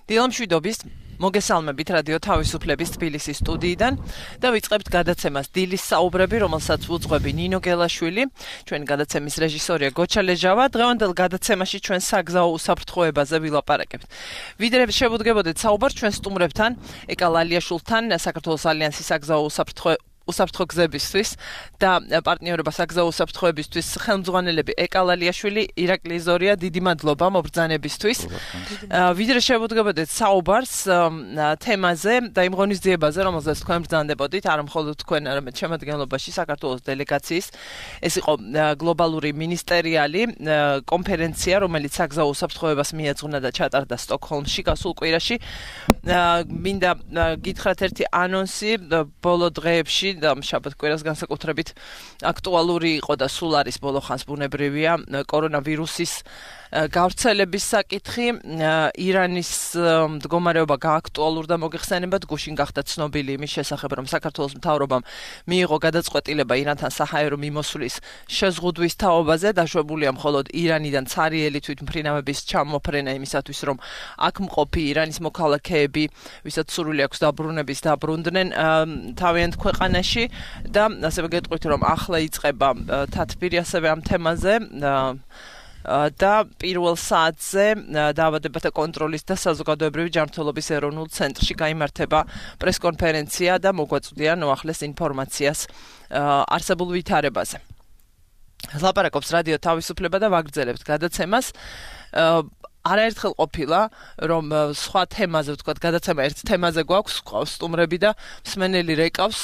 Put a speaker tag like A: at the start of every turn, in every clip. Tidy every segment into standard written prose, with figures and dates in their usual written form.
A: დილამშვიდობის მოგესალმებით რადიო თავისუფლების თბილისის სტუდიიდან და ვიწყებთ გადაცემას დილის საუბრები, რომელსაც უძღვები ნინო გელაშვილი. Ჩვენი გადაცემის რეჟისორია გოჩა ლეჟავა. დღევანდელ გადაცემაში ჩვენ საგზაო უსაფრთხოებაზე ვილაპარაკებთ. ვიდრე შევუდგებოდეთ საუბარს ჩვენ სტუმრებთან, ეკა ლალიაშვილთან, საქართველოს ალიანსის საგზაო უსაფრთხო გზებისთვის და პარტნიორობა საგზაო უსაფრთხოებისთვის ხელმძღვანელები ეკა ლალიაშვილი, ირაკლი ზორია, დიდი მადლობა მობრძანებისთვის. ვიდრე შევუდგებოდეთ საუბარს თემაზე და იმ ღონისძიებაზე, რომელზეც თქვენ ბრძანდებოდით, არა მხოლოდ თქვენ, არამედ შემადგენლობაში საქართველოს დელეგაციის. ეს იყო გლობალური მინისტერიალი კონფერენცია, რომელიც საგზაო უსაფრთხოებას მიეძღვნა და ჩატარდა სტოკჰოლმში გასულ კვირაში. მინდა გითხრათ ერთი ანონსი ბოლო დღეებში და შაბათ კვირას განსაკუთრებით აქტუალური იყო და სულ არის ბოლო ხანს ბუნებრივია კორონავირუსის გავრცელების საკითხი. ირანის მდგომარეობა გააქტუალურდა მოგეხსენებათ, გუშინ გახდა ცნობილი იმის შესახებ, რომ საქართველოს მთავრობამ მიიღო გადაწყვეტილება ირანთან საჰაერო მიმოსვლის შეზღუდვის თაობაზე, დაშვებულია მხოლოდ ირანიდან ცარიელი თვითმფრინავების ჩამოფრენა იმისათვის, რომ აქ მყოფი ირანის მოქალაქეები, ვისაც სურვილი აქვს დაბრუნების, დაბრუნდნენ თავიანთ ქვეყანაში და ასევე გეტყვით, რომ ახლა იწყება თათბირი ასევე ამ თემაზე და პირველ საათზე დაავადებათა კონტროლის და საზოგადოებრივი ჯანმრთელობის ეროვნულ ცენტრში გაიმართება პრესკონფერენცია და მოგვაწვდია ნოახლეს ინფორმაციას არსებულ ვითარებაზე. ლაპარაკობს რადიო თავისუფლება და ვაგრძელებთ გადაცემას. არაერთხელ ყოფილა, რომ სხვა თემაზე, ვთქვათ, გადაცემა ერთ თემაზე გვაქვს, ყავს სტუმრები და მსმენელი რეკავს,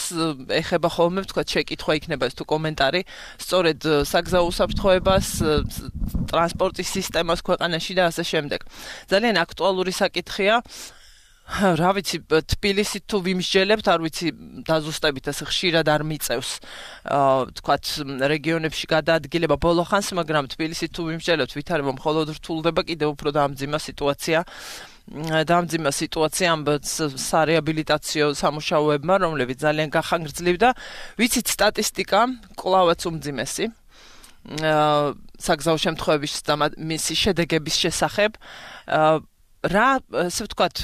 A: ეხება ხოლმე, ვთქვათ, შეკითხვა იქნება ეს თუ კომენტარი, სწორედ საგზაო უსაფრთხოებას, ტრანსპორტის სისტემას ქვეყანაში და ასე შემდეგ. ძალიან აქტუალური საკითხია. რა ვიცი, თბილისით თუ ვიმსჯელებთ, არ ვიცი, დაზუსტებით ასე ხშირად არ მიწევს, ვთქვათ, რეგიონებში გადაადგილება ბოლო ხანს, მაგრამ თბილისით თუ ვიმსჯელებთ, ვითარება მხოლოდ რთულდება, კიდევ უფრო დაამძიმა სიტუაცია ამ სარეაბილიტაციო სამუშაოებმა, რომლებიც ძალიან გახანგრძლივდა. ვიცით, სტატისტიკა კვლავაც უმძიმესი საგზაო შემთხვევების და მისი შედეგების შესახებ. ასე ვთქვათ,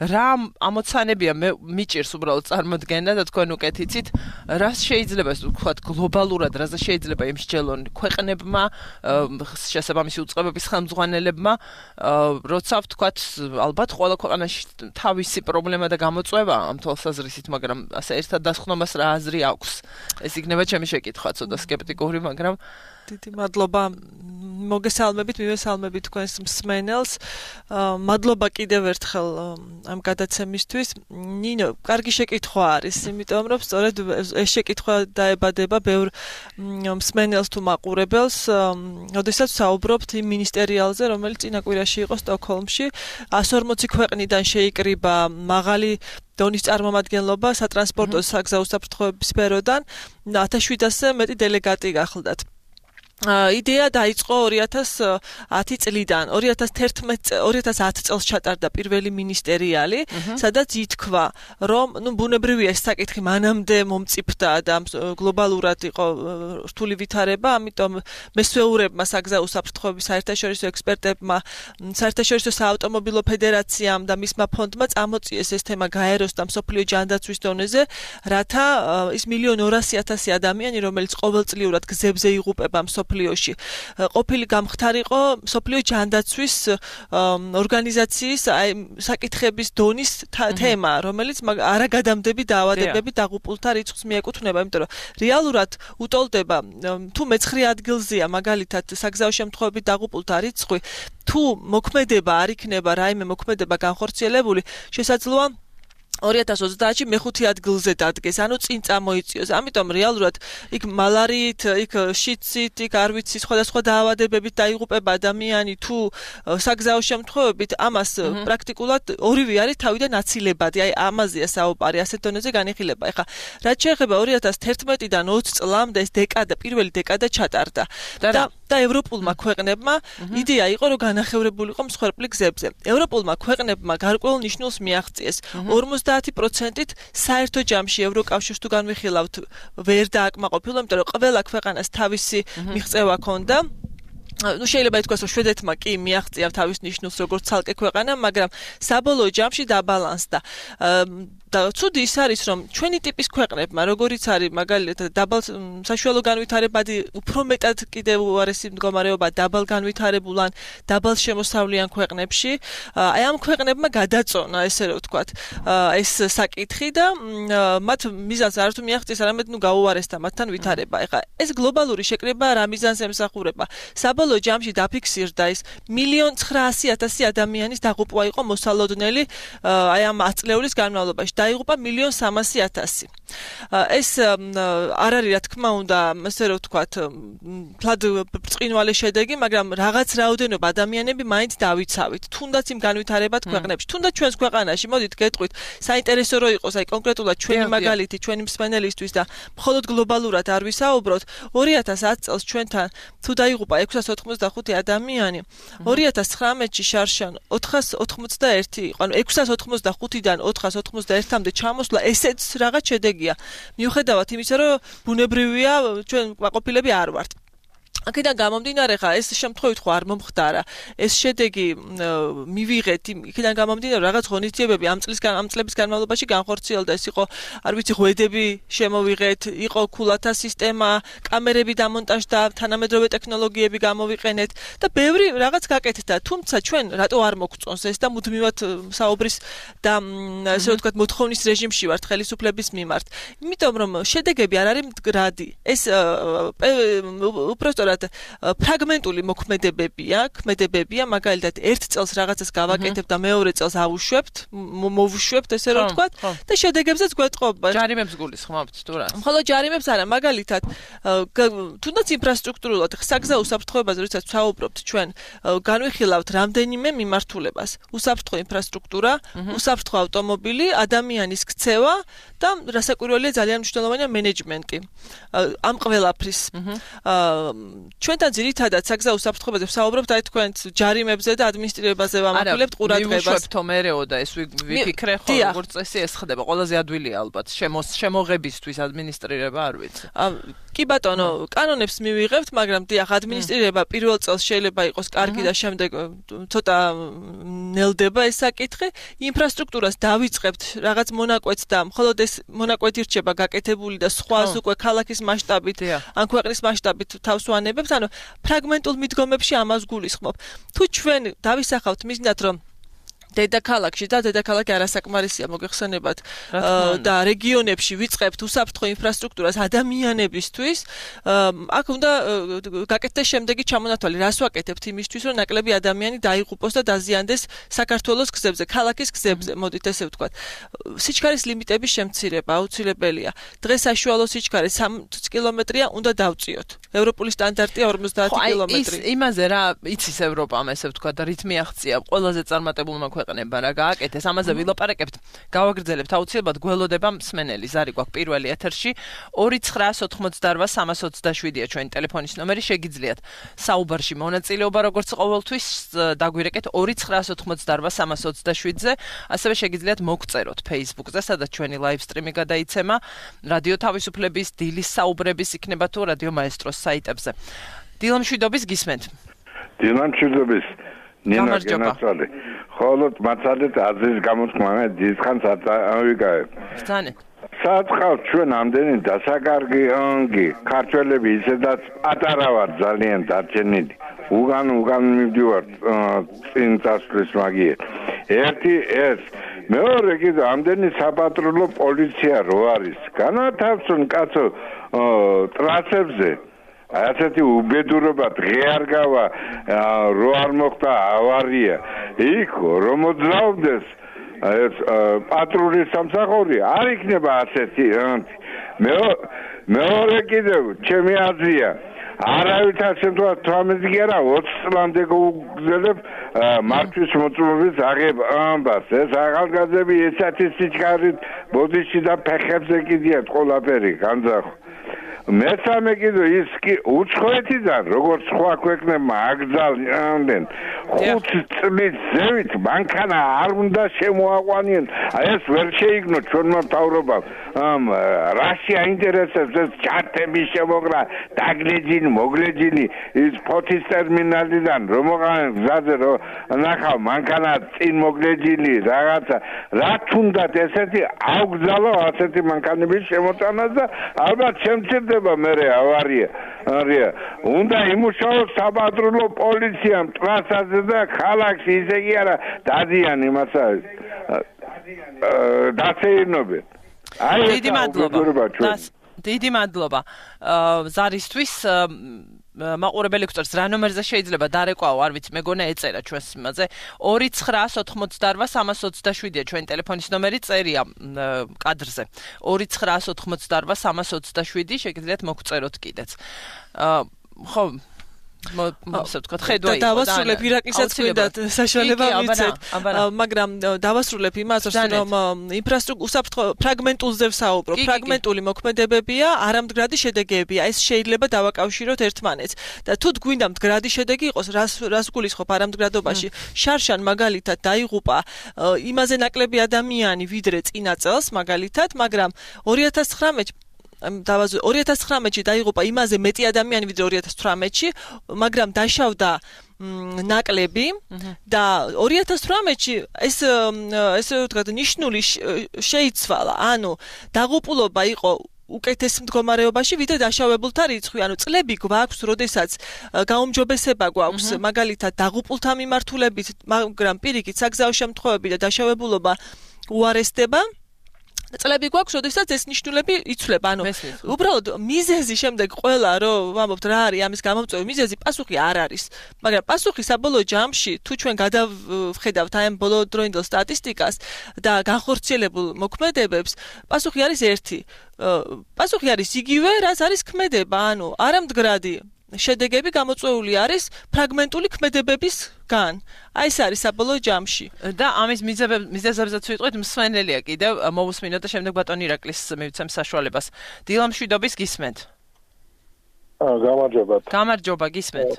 A: რა ამოცანებია მიჭირს უბრალოდ წარმოდგენა და თქვენ უკეთ იცით, რას შეიძლება ვთქვათ გლობალურად, რაზე შეიძლება იმსჯელონ ქვეყნებმა, შესაბამისი უწყებების ხელმძღვანელებმა, როცა ვთქვათ, ალბათ ყველა ქვეყანაში თავისი პრობლემა და გამოწვევა ამ თვალსაზრისით, მაგრამ ასე ერთად დასხნომას რა აზრი აქვს? ეს იქნება ჩემი შეკითხვა, ცოტა სკეპტიკური, მაგრამ
B: დიდი მადლობა. მოგესალმებით, მივესალმებით თქვენს მსმენელს. მადლობა კიდევ ერთხელ ამ გადაცემისთვის. ნინო, კარგი შეკითხვა არის, იმიტომ რომ სწორედ ეს შეკითხვა დაებადება ბევრ მსმენელს თუ მაყურებელს, როდესაც საუბრობთ იმ მინისტერიალზე, რომელიც წინა კვირაში იყო სტოკჰოლმში. 140 ქვეყნიდან შეიკრიბა მაღალი დონის წარმომადგენლობა სატრანსპორტო საგზაო უსაფრთხოების სფეროდან 1700-ზე მეტი დელეგატი გახლდათ. იდეა დაიწყო 2010 წლიდან. 2010 წელს ჩატარდა პირველი მინისტერიალი, სადაც ითქვა, რომ ბუნებრივია ეს საკითხი მანამდე მომწიფდა და გლობალურად იყო რთული ვითარება, ამიტომ მესვეურებმა საგზაო უსაფრთხოების საერთაშორისო ექსპერტებმა, საერთაშორისო საავტომობილო ფედერაციამ და მისმა ფონდმა წამოწიეს ეს თემა გაეროს და მსოფლიო ჯანდაცვის დონეზე, რათა ის 1,200,000 ადამიანი, რომელიც ყოველწლიურად გზებზე იღუპება მსოფლიოში, ყოფილი გამხდარიყო მსოფლიო ჯანდაცვის ორგანიზაციის საკითხების დონის თემა, რომელიც არაგადამდები დაავადებები დაღუპულთა რიცხვს მიეკუთვნება, იმიტომ რომ რეალურად უტოლდება თუ მე-9 ადგილზეა მაგალითად საგზაო შემთხვევებით დაღუპულთა რიცხვი, თუ მოქმედება არ იქნება რაიმე მოქმედება განხორციელებული, შესაძლოა 2030-ში მე-5 ადგილზე დადგეს, ანუ წინ წამოიწიოს. ამიტომ რეალურად იქ მალარიით, იქ შიცით, იქ არ ვიცი, სხვადასხვა დაავადებებით დაიღუპება ადამიანი თუ საგზაო შემთხვევებით, ამას პრაქტიკულად ორივე არის თავიდან აცილებადი. აი ამაზეა საუბარი, ასეთ დონეზე განიხილება. ეხლა რაც შეეხება 2011-დან 20 წლამდე ეს პირველი დეკადა ჩატარდა. და ევროპულმა ქვეყნებმა იდეა იყო, რომ განახევრებულიყო მსხვერპლი გზებზე. ევროპულმა ქვეყნებმა გარკვეულ ნიშნულს მიაღწიეს. 50%-ით საერთო ჯამში ევროკავშირს თუ განვიხილავთ ვერ დააკმაყოფილო, იმიტომ რომ ყველა ქვეყანას თავისი მიღწევა ჰქონდა. ну შეიძლება ითქვას, რომ შვედეთმა კი მიაღწია თავის ნიშნულს როგორც ცალკე ქვეყანა, მაგრამ საბოლოო ჯამში დაბალანსდა. და ცუდი ის არის, რომ ჩვენი ტიპის ქვეყნებმა, როგორიც არის მაგალითად დაბალ საშუალო განვითარებადი, უფრო მეტად კიდევ უარესი მდგომარეობა დაბალ განვითარებულ ან დაბალ შემოსავლიან ქვეყნებში, აი ამ ქვეყნებმა გადაწონა, ესე რომ ვთქვათ, ეს საკითხი და მათ მიზანს არ თუ მიაღწიეს, არამედ ნუ გაუარესდა მათთან ვითარება. ეხლა ეს გლობალური შეკრება რა მიზანს ემსახურება? საბოლოო ჯამში დაფიქსირდა ის 1,900,000 ადამიანის დაღუპვა იყო მოსალოდნელი აი ამ 10 წლეულის განმავლობაში. დაიღუპა 1,300,000. ეს არ არის რა თქმა უნდა, ასე რომ ვთქვათ, ფლად ბრწყინვალე შედეგი, მაგრამ რაღაც რაოდენობა ადამიანები მაინც დავიცავით. თუნდაც იმ განვითარებად ქვეყნებში, თუნდაც ჩვენს ქვეყანაში, მოდით გეტყვით, საინტერესო რო იყოს, აი კონკრეტულად ჩვენი მაგალითი, ჩვენი მსმენელისთვის და მხოლოდ გლობალურად არ ვისაუბროთ, 2010 წელს ჩვენთან თუ დაიღუპა 685 ადამიანი, 2019-ში შარშან 481 იყო, ანუ 685-დან 481-მდე ჩამოსვლა, ესეც რაღაც შედეგია. მიუხედავად იმისა, რომ ბუნებრივია ჩვენ ყოფილები არ ვართ. აქედან გამომდინარე, ხა ეს შემთხვევით ხო არ მომხდარა. ეს შედეგი მივიღეთ, იქიდან გამომდინარე, რაღაც ღონისძიებები ამ წლების განმავლობაში განხორციელდა. ეს იყო, არ ვიცი, ღვედები შემოვიღეთ, იყო ქულათა სისტემა, კამერები დამონტაჟდა, თანამედროვე ტექნოლოგიები გამოვიყენეთ და ბევრი რაღაც გაკეთდა. თუმცა ჩვენ რატო არ მოგწონს ეს და მუდმივად საუბრის და ასე ვთქვათ, მოთხოვნის რეჟიმში ვართ ხელისუფლების მიმართ. იმიტომ რომ შედეგები არ არის მდგრადი. ეს უпростоრად ფრაგმენტული მოქმედებებია, მაგალითად, ერთ წელს რაღაცას გავაკეთებ და მეორე წელს ავუშვებთ, მოვუშვებთ, ესე რომ ვთქვათ, და შედეგებზეც გვეტყობა.
A: ჯარიმებს გულისხმობთ თუ რა?
B: მხოლოდ ჯარიმებს არა, მაგალითად, თუნდაც ინფრასტრუქტურულად საგზაო უსაფრთხოებაზე, როდესაც ვსაუბრობთ ჩვენ, განვიხილავთ რამდენიმე მიმართულებას. უსაფრთხო ინფრასტრუქტურა, უსაფრთხო ავტომობილი, ადამიანის ქცევა და რასაკვირველია ძალიან მნიშვნელოვანია მენეჯმენტი. ამ ყველაფრის ჩვენთან ძირითადად საგზაო უსაფრთხოებაზე ვსაუბრობთ, აი თქვენ ჯარიმებზე და ადმინისტრირებაზე ვამახვილებთ ყურადღებას.
A: მივუშვებთო მერეო და ეს ვიფიქრე ხო, როგორც წესი ეს ხდება, ყველაზე ადვილია ალბათ, შემოღებისთვის ადმინისტრირება არ ვიცი.
B: კი ბატონო, კანონებს მივიღებთ, მაგრამ დიახ, ადმინისტრირება პირველ წელს შეიძლება იყოს კარგი და შემდეგ ცოტა ნელდება ეს საკითხი. ინფრასტრუქტურას დავიწყებთ რაღაც მონაკვეთს და მხოლოდ ეს მონაკვეთი რჩება გაკეთებული და სხვას უკვე ქალაქის მასშტაბით, ან ქვეყნის მასშტაბით თავს ვანებებთ, ანუ ფრაგმენტულ მიდგომებში ამას გულისხმობ. თუ ჩვენ დავისახავთ მიზნად, რომ დედაქალაქში და დედაქალაქი არასაკმარისია მოგეხსენებათ და რეგიონებში ვიწყებთ უსაფრთხო ინფრასტრუქტურას ადამიანებისთვის, აქ უნდა გაკეთდეს შემდეგი ჩამონათვალი, რას ვაკეთებთ იმისთვის, რომ ნაკლები ადამიანი დაიღუპოს და დაზიანდეს საქართველოს გზებზე, ქალაქის გზებზე, მოდით ესე ვთქვათ. სიჩქარის ლიმიტების შემცირება აუცილებელია. დღეს საშუალო სიჩქარე 3 კილომეტრია, უნდა დავწიოთ. ევროპული სტანდარტია 50 კილომეტრი.
A: იმაზე რა იცის ევროპამ, ესე ვთქვათ, რითმი აღწია ყველაზე წარმატებულმა ქვეყნებმა რა გააკეთეს, ამაზე ვილაპარაკებთ, გავაგრძელებთ აუცილებლად გველოდება მსმენელი, ზარი გვაქვს პირველი ეთერში 2988327-ია ჩვენი ტელეფონის ნომერი, შეგიძლიათ საუბარში მონაწილეობა როგორც ყოველთვის დაგვირეკეთ 2988327-ზე, ასევე შეგიძლიათ მოგწეროთ Facebook-ზე, სადაც ჩვენი live stream-ი გადაიცემა, რადიო თავისუფლების დილის საუბრების იქნება თუ რადიო მაესტროს საიტებზე. დილამშვიდობის გისმენთ.
C: დილამშვიდობის ნინა გენაცვალე. ხოლოდ მაცადეთ აზრის გამოთქმა დიდხანს ავიკავებ.
A: ბრძანე.
C: საწყავ ჩვენ ამდენი დასაკარგი ქართველები ისედაც პატარა ვარ ძალიან დარჩენილი. უგან მივდივარ წინ წასვლის მაგიერ. ერთი ეს მეორე კიდე ამდენი საპატრულო პოლიცია რო არის. განათავსონ კაცო ტრასებზე. ასეთი უბედურობა დღე არ გავა რო არ მოხდა ავარია. იქ რომ მოძრაობდეს ეს პატრულის სამსახური არ იქნება ასეთი. მეორე კიდევ ჩემი აზრია არავითარ შემთხვევაში 18 კი არა 20 წლამდე გუგზელებ მართვის მოწმობის აღებას. ეს ახალგაზრდები ესეთი სიჩქარით ბოდიში და ფეხებზე კიდიათ ყველაფერი განძახო. მესამე კიდე ის კი უცხოეთიდან როგორც სხვა ქვეყნებმა აკრძალნენ 5 წლის ზევით მანქანა არ უნდა შემოაყვანიონ. ეს ვერ შეიგნო ჩვენმა მთავრობამ. რაში აინტერესებს ეს ჩარტების შემოგრა, დაგლეჯინი, მოგლეჯინი ის ფოთის ტერმინალიდან რომ მოყავენ გზაზე რომ ნახავ მანქანა წინ მოგლეჯინი რაღაცა რა თუნდაც ესეთი აუგზავნო ასეთი მანქანების შემოწმებას და ალბათ შემცირდება მერე ავარია. უნდა იმუშაოს საპატრულო პოლიციამ ტრასაზე და ქალაქში ისე კი არა დადიან იმასაც დაცეირნობენ.
A: დიდი მადლობა ზარისთვის მაყურებელი გვწევს რა ნომერზე შეიძლება დარეკვაო არ ვიცი მეგონა ეწერა ჩვენს იმაზე 2988327-ია ჩვენი ტელეფონის ნომერი წერია კადრზე 2988327 შეგიძლიათ მოგწეროთ კიდეც ხო
B: დავასრულებ ირაკლისაც გვინდა საშუალება მიცეთ მაგრამ დავასრულებ იმას რომ ინფრასტრუქტურა ფრაგმენტულზე ვსაუბრობ ფრაგმენტული მოქმედებებია არამდგრადი შედეგებია ეს შეიძლება დავაკავშიროთ ერთმანეთს და თუ გვინდა მდგრადი შედეგი იყოს რას გულისხმობ არამდგრადობაში შარშან მაგალითად დაიღუპა იმაზე ნაკლები ადამიანი ვიდრე წინა წელს მაგალითად მაგრამ 2019-ში დაიღუპა იმაზე მეტი ადამიანი ვიდრე 2018-ში, მაგრამ დაშავდა ნაკლები და 2018-ში ესე ვთქვათ ნიშნული შეიცვალა, ანუ დაღუპულობა იყო უკეთეს მდგომარეობაში ვიდრე დაშავებულთა რიცხვი, ანუ წლები გვაქვს, როდესაც გაუმჯობესება გვაქვს, მაგალითად დაღუპულთა მიმართულებით, მაგრამ პირიქით საგზაო შემთხვევები და დაშავებულობა უარესდება. წლები გვაქვს, როდესაც ეს ნიშნულები იცვლება. ანუ უბრალოდ მიზეზი შემდეგ ყველა რომ ვამბობთ რა არის ამის გამომწვევი მიზეზი, პასუხი არ არის. მაგრამ პასუხი საბოლოო ჯამში, თუ ჩვენ გადავხედავთ აი ამ ბოლოდროინდელ სტატისტიკას და განხორციელებულ მოქმედებებს, პასუხი არის ერთი. პასუხი არის იგივე, რაც არის ქმედება, ანუ არამდგრადი შედეგები გამოწვეული არის ფრაგმენტული ქმედებებისგან. აი ეს არის საბოლოო ჯამში.
A: და ამის მიზეზებზეც ვიტყვით მსვენელია კიდევ მოვუსმინოთ და შემდეგ ბატონ ირაკლის მივცემ საშუალებას. დილამშვიდობის გისმენთ. გამარჯობა გისმენთ.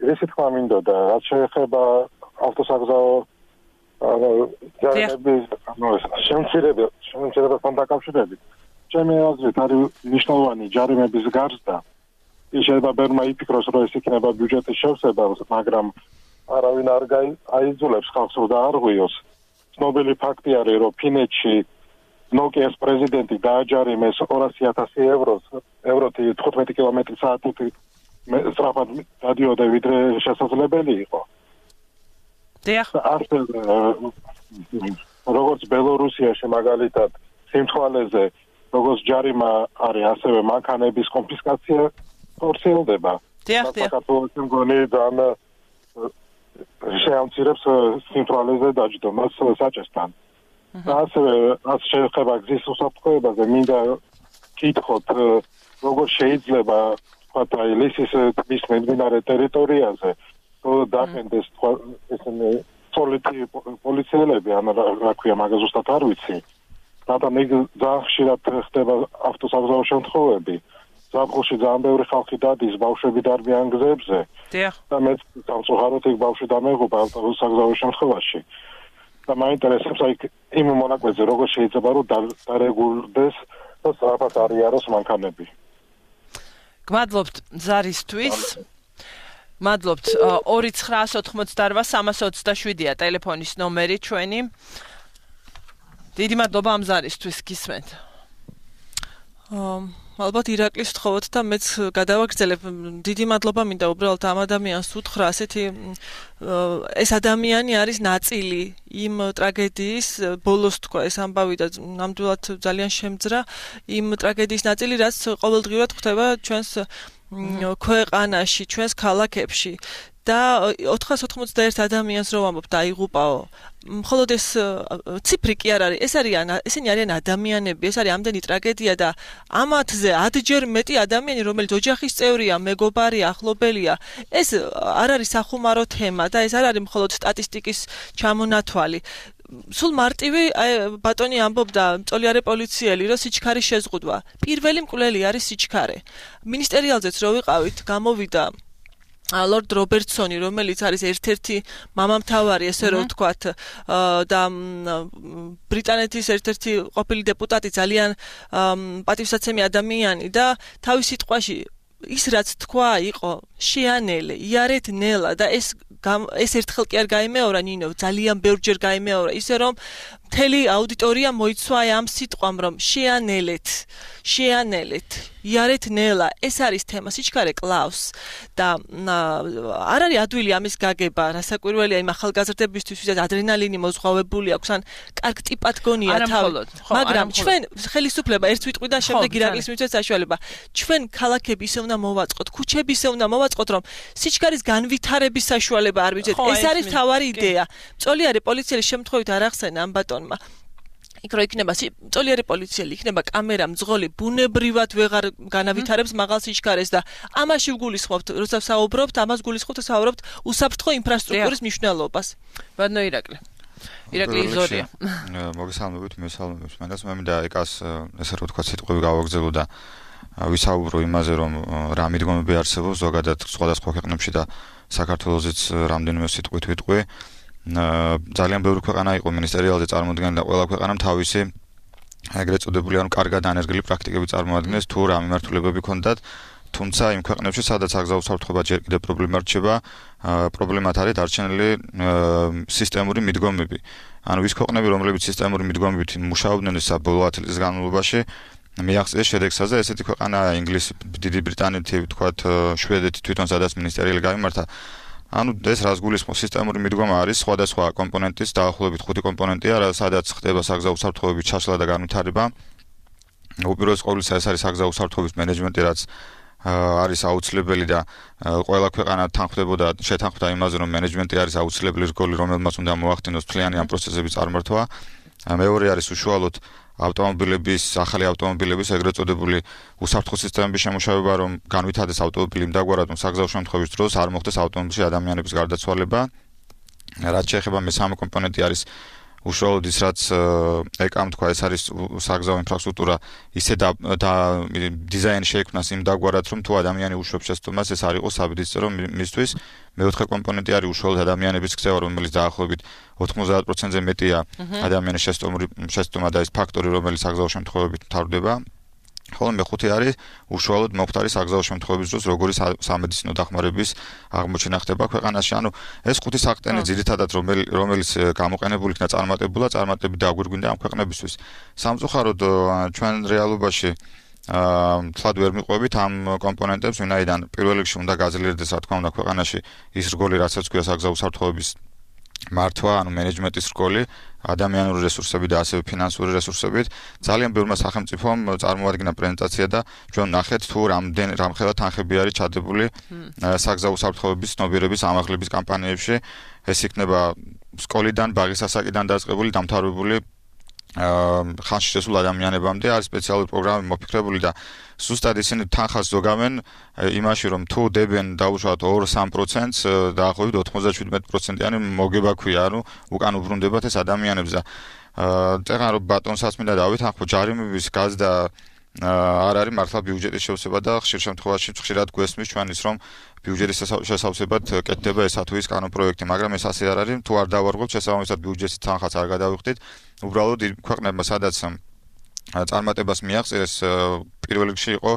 D: ისე თქვა მინდოდა რაც შეეხება ავტოსაგზაო შემცირებასთან დაკავშირებით. ჩემი აზრით არის მნიშვნელოვანი ჯარიმების გარსდა. შეიძლება ბერმა იფიქროს რომ ეს იქნება ბიუჯეტის შევსება, მაგრამ არავინ არ აიძულებს ხალხს რომ დაარღვიოს. ცნობილი ფაქტი არის რომ ფინეთში ნოკიას პრეზიდენტი დააჯარიმეს 200,000 ევროთი 15 კმ/სთ სწრაფად დადიოდა ვიდრე შესაძლებელი იყო. როგორც ბელორუსიაში მაგალითად სიმთვალეზე როგორც ჯარიმა არის ასევე მანქანების კონფისკაცია ხორციელდება. საქართველოს მგონი ძალიან შეამცირებს სიმთვრალეზე დაჯდომას საჭესთან. ასევე რაც შეეხება გზის უსაფრთხოებაზე, მინდა კითხოთ, როგორ შეიძლება თქვათ აი ლისის ტბის მეძინარე ტერიტორიაზე დაფენდეს ესენი ცოლითი პოლიციელები, ან რა ქვია, მაგას ზუსტად არ ვიცი. რადგან იქ ძალიან ხშირად ხდება ავტოსაგზაო შემთხვევები. ზაფხულში ძალიან ბევრი ხალხი დადის, ბავშვები დარბიან გზებზე. და მეც სამწუხაროდ იქ ბავშვი დამეღუპა ავტოსაგზაო შემთხვევაში. და მაინტერესებს აი იმ მონაკვეთზე როგორ შეიძლება რომ დარეგულდეს და სწრაფად არიაროს მანქანები.
A: გმადლობთ ზარისთვის. მადლობთ 2988327-ია ტელეფონის ნომერი ჩვენი. დიდი მადლობა ამ ზარისთვის გისმენთ.
B: ალბათ ირაკლის ვთხოვოთ და მეც გადავაგრძელებ. დიდი მადლობა მინდა უბრალოდ ამ ადამიანს უთხრა, ასეთი ეს ადამიანი არის ნაწილი იმ ტრაგედიის, ბოლოს თქვა ეს ამბავი და ნამდვილად ძალიან შემძრა იმ ტრაგედიის ნაწილი, რაც ყოველდღიურად ხდება ჩვენს ქვეყანაში, ჩვენს ქალაქებში. და 491 ადამიანს რო ვამბობ დაიღუპაო. მხოლოდ ეს ციფრი კი არ არის, ესენი არიან ადამიანები, ეს არის ამდენი ტრაგედია და ამათზე 10-ჯერ მეტი ადამიანი, რომელიც ოჯახის წევრია, მეგობარია, ახლობელია, ეს არ არის სახუმარო თემა და ეს არ არის მხოლოდ სტატისტიკის ჩამონათვალი. სულ მარტივი ბატონი ამბობდა მწოლიარე პოლიციელი, რომ სიჩქარის შეზღუდვა. პირველი მკვლელი არის სიჩქარე. მინისტერიალზეც რო ვიყავით, გამოვიდა ლორდ რობერტსონი, რომელიც არის ერთ-ერთი მამამთავარი, ესე რომ ვთქვათ, და ბრიტანეთის ერთ-ერთი ყოფილი დეპუტატი, ძალიან პატივსაცემი ადამიანი და თავის სიტყვაში ის რაც თქვა იყო შეანელე, იარეთ ნელა და ეს ერთხელ კი არ გაიმეორა ნინო, ძალიან ბევრჯერ გაიმეორა, ისე რომ მთელი აუდიტორია მოიცვა ამ სიტყვამ, რომ შეანელეთ, იარეთ ნელა, ეს არის თემა, სიჩქარე კლავს და არ არის ადვილი ამის გაგება, რასაკვირველია იმ ახალგაზრდებისთვის, ვისაც ადრენალინი მოზღვავებული აქვს, ან კარგ ტიპად გონია თავი, მაგრამ ჩვენ ხელისუფლება ერთ ვიტყვიდან შემდეგ ირაკლის მიცვეთ საშუალება, ჩვენ ქალაქები ისე უნდა მოვაწყოთ, ქუჩები ისე უნდა მოვაწყოთ, რომ სიჩქარის განვითარების საშუალება არ მივიძეთ. ეს არის მთავარი იდეა. მწოლიარე პოლიციელი შემთხვევით არ ახსენა ამ ბატონმა. იქ რო იქნება მწოლიარე პოლიციელი, იქნება კამერა, მძღოლი, ბუნებრივად ვეღარ განავითარებს მაღალ სიჩქარეს და ამაში ვგულისხმობთ, როცა საუბრობთ, ამას გულისხმობთ და საუბრობთ უსაფრთხო ინფრასტრუქტურის მნიშვნელობას.
A: ბატონო ირაკლი იზორია.
E: მოგესალმებით, მესალმებით. მანდაც მე მინდა ეკას ესე რომ ვთქვა სიტყვები გავაგზავნო და ვისაუბრო იმაზე, რომ რა მიდგომები არსებობს ზოგადად სხვადასხვა ქვეყნებში და საქართველოსაც რამდენიმე სიტყვით ვიტყვი. ძალიან ბევრი ქვეყანა იყო მინისტერიალზე წარმოადგენდა და ყველა ქვეყანამ თავისი ეგრეთ წოდებული ანუ კარგად დანერგილი პრაქტიკები წარმოადგენს თუ რა მიმართულებები ჰქონდათ, თუმცა იმ ქვეყნებში სადაც აგზავნო უსაფრთხოება ჯერ კიდევ პრობლემა რჩება, პრობლემად არის დარჩენილი სისტემური მიდგომები. ანუ ის ქვეყნები, რომლებიც სისტემური მიდგომებით მუშაობდნენ საბოლოო 10 წლის განმავლობაში, მიაღწიეს შედეგსაც და ესეთი ქვეყანაა ინგლისი, დიდი ბრიტანეთი, ვთქვათ, შვედეთი თვითონ სადაც მინისტერიალი გამართა. ანუ ეს რას გულისხმობს, სისტემური მიდგომა არის სხვადასხვა კომპონენტის დაახლოებით 5 კომპონენტია, სადაც ხდება საგზავნო უსაფრთხოების ჩაშლა და განვითარება. უპირველეს ყოვლისა ეს არის საგზავნო უსაფრთხოების მენეჯმენტი, რაც არის აუცილებელი და ყველა ქვეყანა თანხმდებოდა, შეთანხმდა იმაზე, რომ მენეჯმენტი არის აუცილებელი რგოლი, რომელმაც უნდა მოახდინოს მთლიანი ამ პროცესების წარმართვა. მეორე არის უშუალოდ ახალი ავტომობილების ეგრეთ წოდებული უსაფრთხო სისტემების შემუშავება, რომ განვითარდეს ავტომობილი იმდაგვარად, რომ საგზავნო შემთხვევის დროს არ მოხდეს ავტომობილში ადამიანების გარდაცვალება. რაც შეეხება მესამე კომპონენტი არის უშუალოდ ის, რაც ეკამ თქვა, ეს არის საგზავნო ინფრასტრუქტურა ისე და დიზაინი შეიქმნას იმდაგვარად, რომ თუ ადამიანი უშვებს შესწომას, ეს არ იყოს საბედისწერო მისთვის. მეოთხე კომპონენტი არის უშუალოდ ადამიანების ქცევა, რომელიც დაახლოებით 90%-ზე მეტია ადამიანის შესწომა და ეს ფაქტორი, რომელიც საგზავნო შემთხვევებით მთავრდება. ხოლო მეხუთე არის უშუალოდ მომხდარი საგზავნო შემთხვევების დროს როგორი სამედიცინო დახმარების აღმოჩენა ხდება ქვეყანაში. ანუ ეს 5 საყრდენი ძირითადად რომელიც გამოყენებული იქნა წარმატებით დაგვირგვინდა ამ ქვეყნებისთვის. სამწუხაროდ ჩვენ რეალობაში თლად ვერ მიყვებით ამ კომპონენტებს, ვინაიდან პირველ რიგში უნდა გაძლიერდეს, რა თქმა უნდა, ქვეყანაში ის რგოლი, რასაც ქვია საგზავნო უსაფრთხოების მართვა, ანუ მენეჯმენტის რგოლი, ადამიანური რესურსები და ასევე ფინანსური რესურსებით. ძალიან ბევრმა სახელმწიფომ წარმოადგინა პრეზენტაცია და ჩვენ ნახეთ თუ რამხელა თანხები არის ჩადებული საგზავნო უსაფრთხოების ცნობიერების ამაღლების კამპანიებში. ეს იქნება სკოლიდან, ბაღის ასაკიდან დაწყებული, დამთავრებული ხანში შესულ ადამიანებამდე არის სპეციალური პროგრამები მოფიქრებული და ზუსტად ისინი თანხას ზოგავენ იმაში, რომ თუ დებენ დაუშვათ 2-3%-ს, დაახლოებით 97%-იანი მოგება ქვია, ანუ უკან უბრუნდებათ ეს ადამიანებს და წეგან რომ ბატონსაც მინდა დავითანხმო, ჯარიმების გაზდა არ არის მართლა ბიუჯეტის შევსება და ხშირ შემთხვევაში ხშირად გვესმის ჩვენის, რომ ბიუჯეტის შესავსებად კეთდება ესა თუ ის კანონპროექტი, მაგრამ ეს ასე არ არის, თუ არ დავარღვევთ შესაბამისად ბიუჯეტის თანხაც არ გადავიხდით, უბრალოდ ქვეყნებმა სადაც წარმატებას მიაღწიეს, პირველ რიგში იყო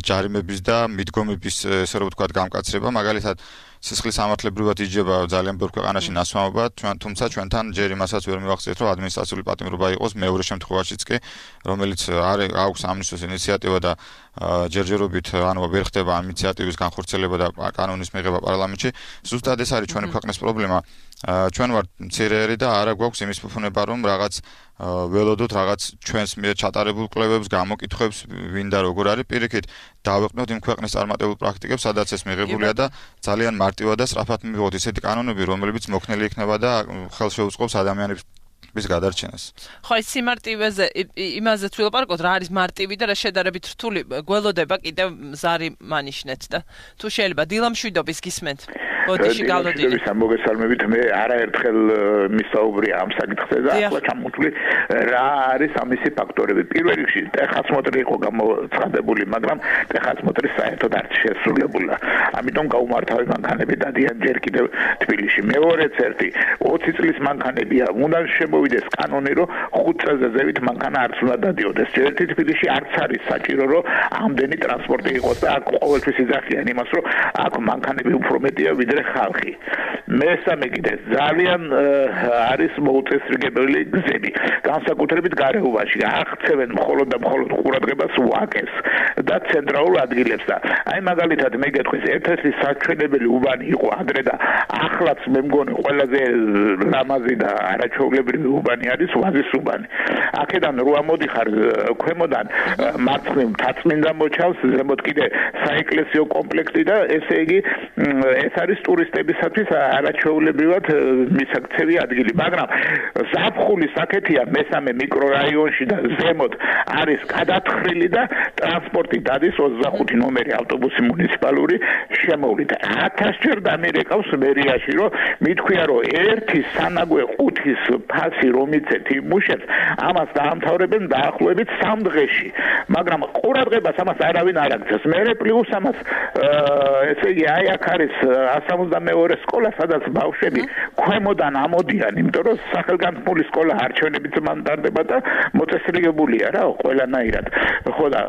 E: ჯარიმების და მიდგომების ესე რომ ვთქვათ გამკაცრება, მაგალითად სისხლის სამართლებრივად იჯება ძალიან ბევრ ქვეყანაში ნასვამობა, თუმცა ჩვენთან ჯერ იმასაც ვერ მივახციეთ, რომ ადმინისტრაციული პატიმრობა იყოს მეორე შემთხვევაშიც კი, რომელიც აქვს ამისთვის ინიციატივა და ჯერჯერობით ანუ ვერ ხდება ამ ინიციატივის განხორციელება და კანონის მიღება პარლამენტში. ზუსტად ეს არის ჩვენი ქვეყნის პრობლემა. ჩვენ ვართ მცირეერი და არა გვაქვს იმის ფუფუნება, რომ რაღაც ველოდოთ რაღაც ჩვენს მიერ ჩატარებულ კვლევებს, გამოკითხვებს, ვინდა როგორ არის, პირიქით დავეყნოთ იმ ქვეყნის წარმატებულ პრაქტიკებს, სადაც ეს მიღებულია და ძალიან მარტივად და სწრაფად მივიღოთ ისეთი კანონები, რომლებიც მოქნილი იქნება და ხელშეუწყობს ადამიანების გადარჩენას.
A: ხო, ეს სიმარტივეზე იმაზე თვილაპარაკოთ, რა არის მარტივი და რა შედარებით რთული, გველოდება კიდევ ზარი მანიშნეთ და თუ შეიძლება დილამშვიდობის გისმენთ. ბოდიში გავლოდინი.
C: მოგესალმებით, მე არაერთხელ მისაუბრია ამ საკითხზე და ახლა ჩამოთვლი რა არის ამისი ფაქტორები. პირველ რიგში ტეხასმოტრი იყო გამოცხადებული, მაგრამ ტეხასმოტრი საერთოდ არ შესრულებულა. ამიტომ გაუმართავი მანქანები დადიან ჯერ კიდევ თბილისში. მეორეც ერთი 20 წლის მანქანებია, უნდა შემოვიდეს კანონი, რომ 5 წელზე ზევით მანქანა არც უნდა დადიოდეს. ერთი თბილისში არც არის საჭირო, რომ ამდენი ტრანსპორტი იყოს და აქ ყოველთვის იძახიან იმას, რომ აქ მანქანები უფრო მეტია ვიდრე ხალხი. მესამე კიდე ძალიან არის მოუწესრიგებელი გზები, განსაკუთრებით გარეუბანში. აღწევენ მხოლოდ და მხოლოდ ყურადღებას ვაკეს და ცენტრალურ ადგილებს და აი მაგალითად მე გეტყვის ერთ-ერთი საჩვენებელი უბანი იყო ადრე და ახლაც მე მგონი ყველაზე ლამაზი და არაჩვეულებრივი უბანი არის ვაზის უბანი. აქედან რო ამოდიხარ ქვემოდან მარცხნივ მთაწმინდა მოჩავს, ზემოთ კიდე საეკლესიო კომპლექსი და ესე იგი ეს არის ტურისტებისათვის არაჩვეულებრივად მისაქცევი ადგილი, მაგრამ ზაფხულის აქეთია მესამე მიკრორაიონში და ზემოთ არის გადათხრილი და ტრანსპორტი დადის 25 ნომერი ავტობუსი მუნიციპალური შემოვლით. 1000 ჯერ დამირეკავს მერიაში, რომ მithქვია, რომ ერთი სანაგვე ყუთის ფასი რომ იცეთ იმუშებს, ამას დაამთავრებენ დაახლოებით 3 დღეში. მაგრამ ყურადღებას ამას არავინ არ აქცევს. მერე პლუს ამას ესე იგი აი აქ არის 172 სკოლა, სადაც ბავშვები ქვემოდან ამოდიან, იმიტომ რომ სახელგანთქმული სკოლა არჩევნებით მანდარდება და მოწესრიგებულია რა ყველანაირად. ხო და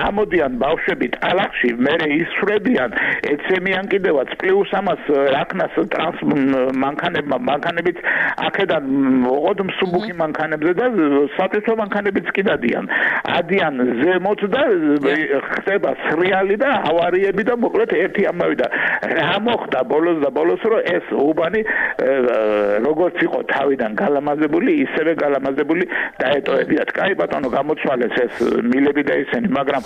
C: ამოდიან ბავშვები ტალახში, მერე ისვრებიან, ეცემიან კიდევაც პლუს ამას რაკნას მანქანებიც აქედან ოღონდ მსუბუქი მანქანებზე და სატვირთო მანქანებიც კი ადიან ზემოთ და ხდება სრიალი და ავარიები და მოკლედ ერთი ამავე და რა მოხდა ბოლოს რომ ეს უბანი როგორც იყო თავიდან გალამაზებული, ისევე გალამაზებული დაეტოვებიათ. კაი ბატონო, გამოცვალეს ეს მილები და ისინი, მაგრამ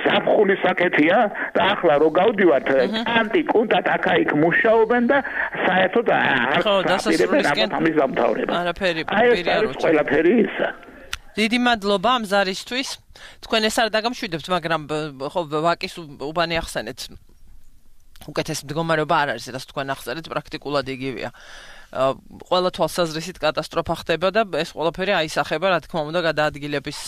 C: ზაფხულის საკეთია და ახლა რო გავდივართ, კანტი კუნტად აქა-იქ მუშაობენ და საერთოდ არ
A: დასასრულისკენ
C: ამის დამთავრება.
A: არაფერი
C: არ არის ყველაფერი ისა.
A: დიდი მადლობა ამ ზარისთვის. თქვენ ეს არ დაგამშვიდებთ, მაგრამ ხო ვაკის უბანი ახსენეთ. უკეთეს მდგომარეობა არ არის, რაც თქვენ ახსენეთ, პრაქტიკულად იგივეა. ყველა თვალსაზრისით კატასტროფა ხდება და ეს ყველაფერი აისახება, რა თქმა უნდა, გადაადგილების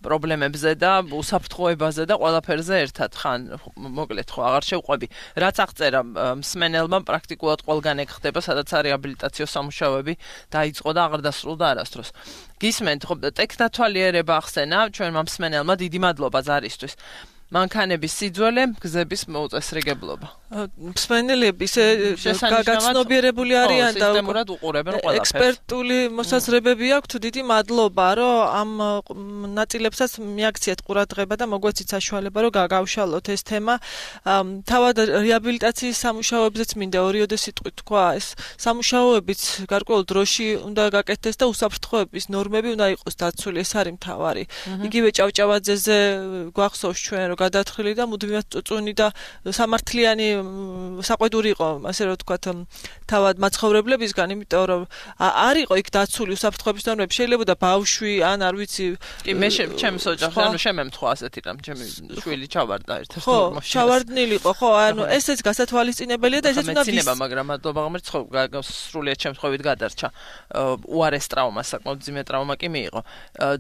A: პრობლემებზე და უსაფრთხოებაზე და ყველაფერზე ერთად. ხან მოკლედ ხო აღარ შევყვები. რაც აღწერა მსმენელმა, პრაქტიკულად ყველგან ეგ ხდება, სადაც არის რეაბილიტაციო სამუშაოები დაიწყო და აღარ დასრულდა არასდროს. გისმენთ, ხო, ტექნათვალიერება ახსენა ჩვენმა მსმენელმა, დიდი მადლობა ზარისთვის. მანქანების სიძველე, გზების მოუწესრიგებლობა.
B: მსმენელები გაცნობიერებული არიან და
A: სისტემურად უყურებენ ყველაფერს.
B: ექსპერტული მოსაზრებები აქვთ, დიდი მადლობა, რომ ამ ნაწილებსაც მიაქციეთ ყურადღება და მოგვეცით საშუალება, რომ გავშალოთ ეს თემა. თავად რეაბილიტაციის სამუშაოებზეც მინდა ორიოდე სიტყვით თქვა, ეს სამუშაოებიც გარკვეულ დროში უნდა გაკეთდეს და უსაფრთხოების ნორმები უნდა იყოს დაცული, ეს არის მთავარი. იგივე ჭავჭავაძეზე გვახსოვს ჩვენ რომ გადათხრილი და მუდმივად წუწუნი და სამართლიანი საყვედური იყო, ასე რომ ვთქვათ, თავად მაცხოვრებლებისგან, იმიტომ რომ არ იყო იქ დაცული უსაფრთხოების ნორმები, შეიძლება და ბავშვი ან არ ვიცი.
A: კი მე ჩემს ოჯახში ანუ შემემთხვა ასეთი რამ, ჩემი შვილი ჩავარდა ერთ-ერთ
B: მაშინას. ხო, ჩავარდნილი იყო, ხო, ანუ ესეც გასათვალისწინებელია და ესეც უნდა
A: მეცინება, მაგრამ მადლობა ღმერთს, ხო, სრულიად შემთხვევით გადარჩა. უარეს ტრავმა, საკმაოდ ძიმე ტრავმა კი მიიღო.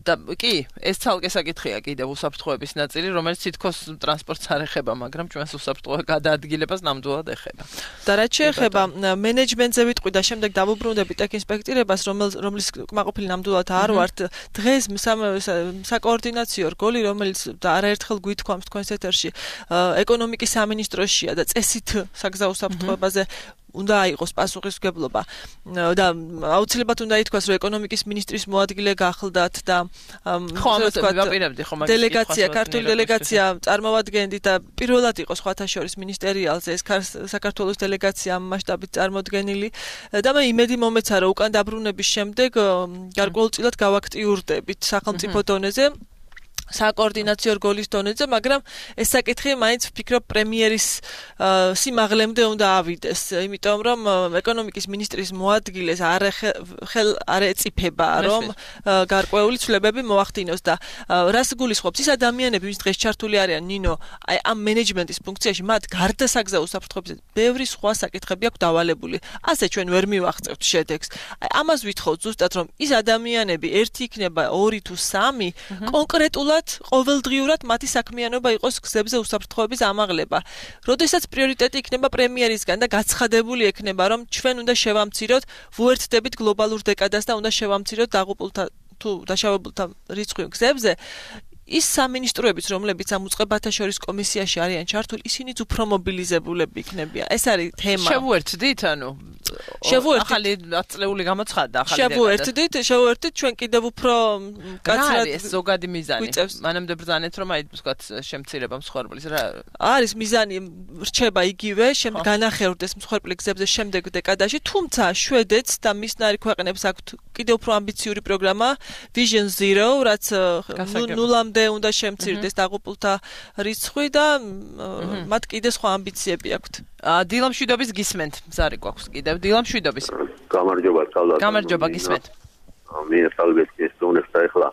A: და კი, ეს ცალკე საკითხია კიდევ უსაფრთხოების ნაწილი, რომელიც თითქოს ტრანსპორტს არ ეხება, მაგრამ ჩვენს უსაფრთხო გადაადგილებას ნამდვილად ეხება.
B: და რაც შეეხება მენეჯმენტზე ვიტყვი და შემდეგ დავუბრუნდები ტექინსპექტირებას, რომლის კმაყოფილი ნამდვილად არ ვართ. დღეს საკოორდინაციო რგოლი, რომელიც არაერთხელ გვითქვამს თქვენს ეთერში, ეკონომიკის სამინისტროშია და წესით საგზაო უსაფრთხოებაზე უნდა იყოს პასუხისმგებლობა და აუცილებლად უნდა ითქვას, რომ ეკონომიკის ministris მოადგილე გახლდათ და დელეგაცია, ქართული დელეგაცია წარმოვადგენდით და პირველად იყო სხვათა შორის მინისტერიალზე ეს საქართველოს დელეგაცია მასშტაბით წარმოდგენილი და მე იმედი მომეცა, რომ უკან დაბრუნების შემდეგ გარკვეულწილად გავაქტიურდებით სახელმწიფო დონეზე საკოორდინაციო რგოლის დონეზე, მაგრამ ეს საკითხი მაინც ვფიქრობ პრემიერის სიმაღლემდე უნდა ავიდეს, იმიტომ რომ ეკონომიკის მინისტრის მოადგილეს არ ეწიფება, რომ გარკვეული ცვლილებები მოახდინოს და რას გულისხმობს ის ადამიანები, ვინც დღეს ჩართული არიან ნინო, აი ამ მენეჯმენტის ფუნქციაში, მათ გარდა საგზაო უსაფრთხოებისა ბევრი სხვა საკითხები აქვს დავალებული. ასე ჩვენ ვერ მივახცევთ შედეგს. აი ამას ვითხოვთ ზუსტად, რომ ის ადამიანები ერთი იქნება 2 თუ 3 კონკრეტულად ყოველდღიურად მათი საქმიანობა იყოს გზებზე უსაფრთხოების ამაღლება. როდესაც პრიორიტეტი იქნება პრემიერისგან და გაცხადებული ექნება, რომ ჩვენ უნდა შევამციროთ, ვუერთდებით გლობალურ დეკადას და უნდა შევამციროთ დაღუპულთა თუ დაშავებულთა რიცხვი გზებზე, ის სამინისტროებიც, რომლებიც ამ უწყებათა შორის კომისიაში არიან ჩართული, ისინიც უფრო მობილიზებულები იქნებიან. ეს არის თემა.
A: შევუერთდით, ანუ ახალი აწლეული გამოცხადდა ახალი
B: დეკადა. შევუერთდით, ჩვენ კიდევ უფრო
A: კაცრად ეს ზოგადი მიზანი. მანამდე ბრძანეთ, რომ აი ვთქვათ, შემცირება მსხვერპლის რა
B: არის მიზანი რჩება იგივე, განახევრდეს მსხვერპლი გზებზე შემდეგ დეკადაში, თუმცა შვედეთს და მისნარი ქვეყნებს აქვთ კიდევ უფრო ამბიციური პროგრამა Vision Zero, რაც ნულამდე უნდა შემცირდეს დაღუპულთა რიცხვი და მათ კიდე სხვა ამბიციები აქვთ.
A: დილამშვიდობის გისმენთ, ზარი გვაქვს კიდევ დილამშვიდობის.
F: გამარჯობა, თავად.
A: გამარჯობა, გისმენთ.
F: მე სალვესკის ტონეს და ეხლა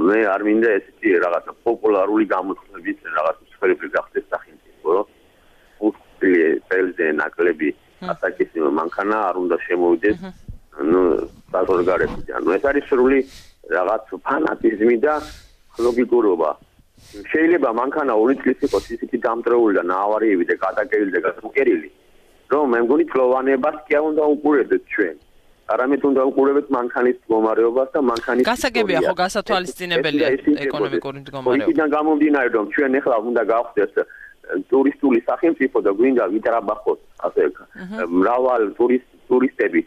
F: მე არ მინდა ესეთი რაღაცა პოპულარული გამოცხადების რაღაც სფეროები გახდეს სახელმწიფო, რომ უთილზე ნაკლები ატაკის მანქანა არ უნდა შემოვიდეს, საზღვარგარეთიდან. ეს არის სრული რაღაც ფანატიზმი და ლოგიკურობა. შეიძლება მანქანა 2 წლის იყოს ისეთი დამტრეული და ნაავარიები და გადაკერილი და გასუკერილი, რომ მე მგონი თლოვანებას კი არ უნდა უყურებდეთ ჩვენ. არამედ უნდა უყურებდეთ მანქანის მდგომარეობას და მანქანის
A: გასაგებია ხო გასათვალისწინებელია ეკონომიკური მდგომარეობა.
F: იქიდან გამომდინარე, რომ ჩვენ ახლა უნდა გავხდეს ტურისტული სახელმწიფო და გვინდა ვიტრაბახოთ ასე მრავალ ტურისტები.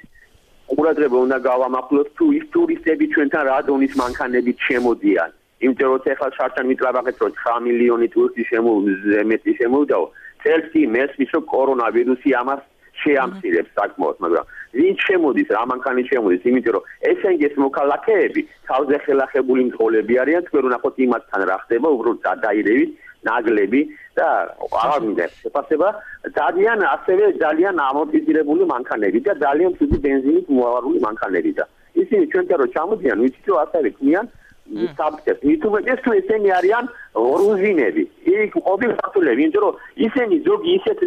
F: ყურადღება უნდა გავამახვილოთ თუ ის ტურისტები ჩვენთან რა დონის მანქანებით შემოდიან. იმიტომ რომ ახლა შარშან ვიტრაბახეთ, რომ 9 მილიონი ტურისტი შემოვიდაო. წელს კი მესმის, რომ კორონავირუსი ამას შეამცირებს საკმაოდ, მაგრამ ვინ შემოდის, რა მანქანით შემოდის, იმიტომ რომ ესენგეს მოქალაქეები თავზე ხელახებული მძღოლები არიან, თქვენ ვნახოთ იმათთან რა ხდება, უბრალოდ გადაირევით, ნაგლები და აღარ მინდა შეფასება, ძალიან ამორტიზირებული მანქანები და ძალიან ცუდი ბენზინით მოავარული მანქანები და ისინი ჩვენთან რომ ჩამოდიან, ვიცით რომ ასევე ქმნიან საბჭოს. მithumetes თუ ესენი არიან რუზინები. იქ ყოფილი საფულები, იმიტომ რომ ისინი ზოგი ისეთ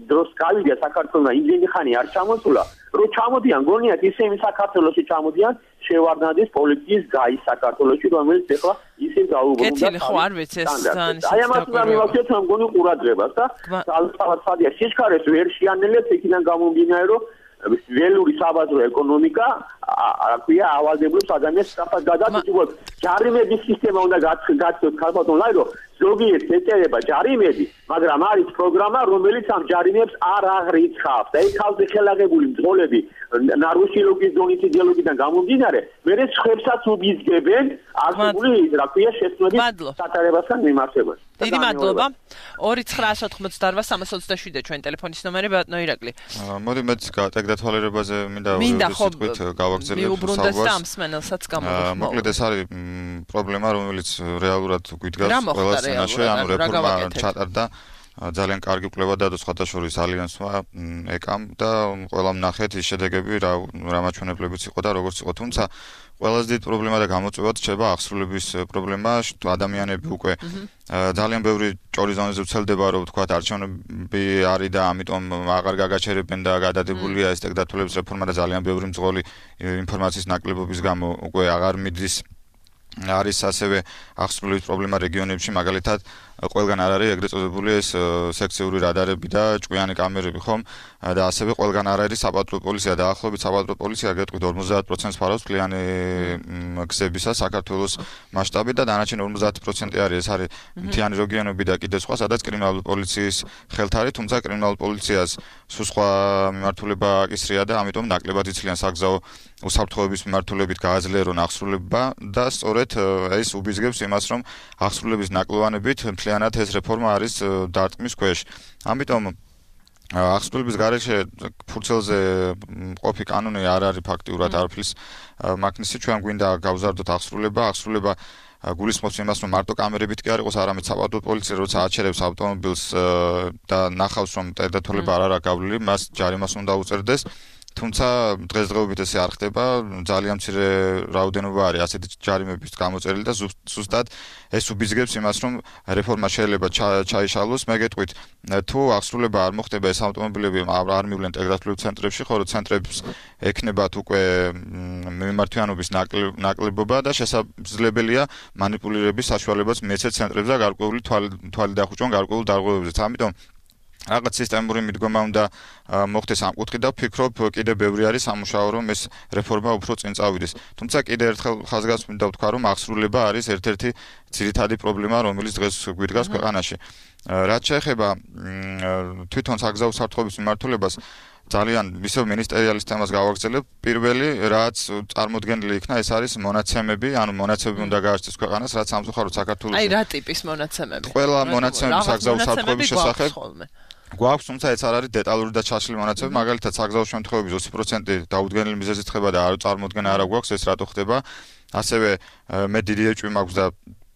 F: დროს გავიდა საქართველოს იმდენი ხანი არ ჩამოსულა, რომ ჩამოდიან გონიათ ისინი საქართველოში ჩამოდიან შევარდნადის პოლიციის გაის საქართველოში, რომელიც ახლა ისინი დაუბრუნდა.
A: კეთილი ხო არ ვიცი ეს ძალიან
F: აი ამას უნდა მივაქციოთ ამ გონი ყურადღებას და სალსავადია სიჩქარეს ვერ შეანელებს იქიდან გამომდინარე რომ ველური საბაზრო ეკონომიკა აქვია ავალდებლებს ადამიანს საფას გადაწყვეტ ჯარიმების სისტემა უნდა გაცნოთ ქალბატონ ლაირო ზოგიერთ ეწერება ჯარიმები მაგრამ არის პროგრამა რომელიც ამ ჯარიმებს არ აღრიცხავს და ეს თავზე ხელაღებული მძღოლები ნარუსილოგის დონის იდეოლოგიიდან გამომდინარე მერე ცხებსაც უბიძგებენ არსებული რა ქვია შეცვლების სატარებასთან მიმართებაში
A: დიდი მადლობა 2988327 ჩვენ ტელეფონის ნომერი ბატონო ირაკლი
E: მოდი მეც გადათვალიერებაზე მინდა ვთქვით გავაგრძელებ
A: საუბარს
E: მოკლედ ეს არის პრობლემა რომელიც რეალურად გვიდგას ყველა სცენაში ანუ რეფორმა ჩატარდა ძალიან კარგი კვლევა დადო სხვადასხვა ალიანსმა ეკამ და ყველამ ნახეთ ის შედეგები რა მაჩვენებლებიც იყო და როგორც იყო თუმცა ყველაზე დიდი პრობლემა და გამოწვევად რჩება აღსრულების პრობლემა ადამიანები უკვე ძალიან ბევრი ჭორი ზონეზე ვრცელდება რომ თქვა არჩევნები არის და ამიტომ აღარ გაგაჩერებენ და გადადებულია ეს ტექდათვალების რეფორმა და ძალიან ბევრი მძღოლი ინფორმაციის ნაკლებობის გამო უკვე აღარ მიდის არის ასევე აღსრულების პრობლემა რეგიონებში მაგალითად ყველგან არ არის ეგრეთ წოდებული ეს სექციური რადარები და ჭკვიანი კამერები ხომ და ასევე ყველგან არ არის საპატრულო პოლიცია და ახლობით საპატრულო პოლიცია გეტყვით 50% ფარავს კლიანი გზებისა საქართველოს მასშტაბით და დანარჩენი 50% არის ეს არის მთიანი რეგიონები და კიდე სხვა სადაც კრიმინალური პოლიციის ხელთ არის თუმცა კრიმინალურ პოლიციას სულ სხვა მიმართულება აკისრია და ამიტომ ნაკლებად იცლიან საგზაო უსაფრთხოების მიმართულებით გააძლიერონ აღსრულება და სწორედ ეს უბიძგებს იმას რომ აღსრულების ნაკლოვანებით მთლიანად ეს რეფორმა არის დარტყმის ქვეშ. ამიტომ აღსრულების გარეშე ფურცელზე ყოფი კანონი არ არის ფაქტიურად არაფრის მაგნისი ჩვენ გვინდა გავზარდოთ აღსრულება გულისხმობს იმას, რომ მარტო კამერებით კი არ იყოს, არამედ საპატრო პოლიცია როცა აჩერებს ავტომობილს და ნახავს, რომ ტერდათვალება არ არის გავლილი, მას ჯარიმას უნდა უწერდეს. თუმცა დღესდღეობით ესე არ ხდება, ძალიან მცირე რაოდენობა არის ასეთი ჯარიმების გამოწერილი და ზუსტად ეს უბიძგებს იმას, რომ რეფორმა შეიძლება ჩაიშალოს. მე გეტყვით, თუ აღსრულება არ მოხდება ეს ავტომობილები არ მივლენ ტერდათვლილ ცენტრებში, ხოლო ცენტრებს ექნებათ უკვე მიმართვიანობის ნაკლებობა და შესაძლებელია მანიპულირების საშუალებაც მიეცეთ ცენტრებს და გარკვეული თვალი დახუჭონ გარკვეულ დარღვევებზეც. ამიტომ რაღაც სისტემური მიდგომა უნდა მოხდეს ამ კუთხით და ვფიქრობ, კიდე ბევრი არის სამუშაო, რომ ეს რეფორმა უფრო წინ წავიდეს. თუმცა კიდე ერთხელ ხაზგასმით ვთქვა, რომ აღსრულება არის ერთ-ერთი ძირითადი პრობლემა, რომელიც დღეს გვიდგას ქვეყანაში. რაც შეეხება თვითონ საგზაო საფრთხების მიმართულებას, ძალიან ისევ მინისტერიალის თემას გავაგრძელებ. პირველი, რაც წარმოდგენილი იქნა, ეს არის მონაცემები, ანუ მონაცემები უნდა გააჩნდეს ქვეყანას, რაც სამწუხაროდ საქართველოს.
A: აი, რა ტიპის მონაცემები?
E: ყველა მონაცემები საგზაო საფრთხების შესახებ გვაქვს, თუმცა ეს არ არის დეტალური და ჩაშლილი მონაცემები, მაგალითად საგზაო შემთხვევების 20% დაუდგენელი მიზეზით ხდება და არ წარმოდგენა არ გვაქვს, ეს რატო ხდება. ასევე მე დიდი ეჭვი მაქვს და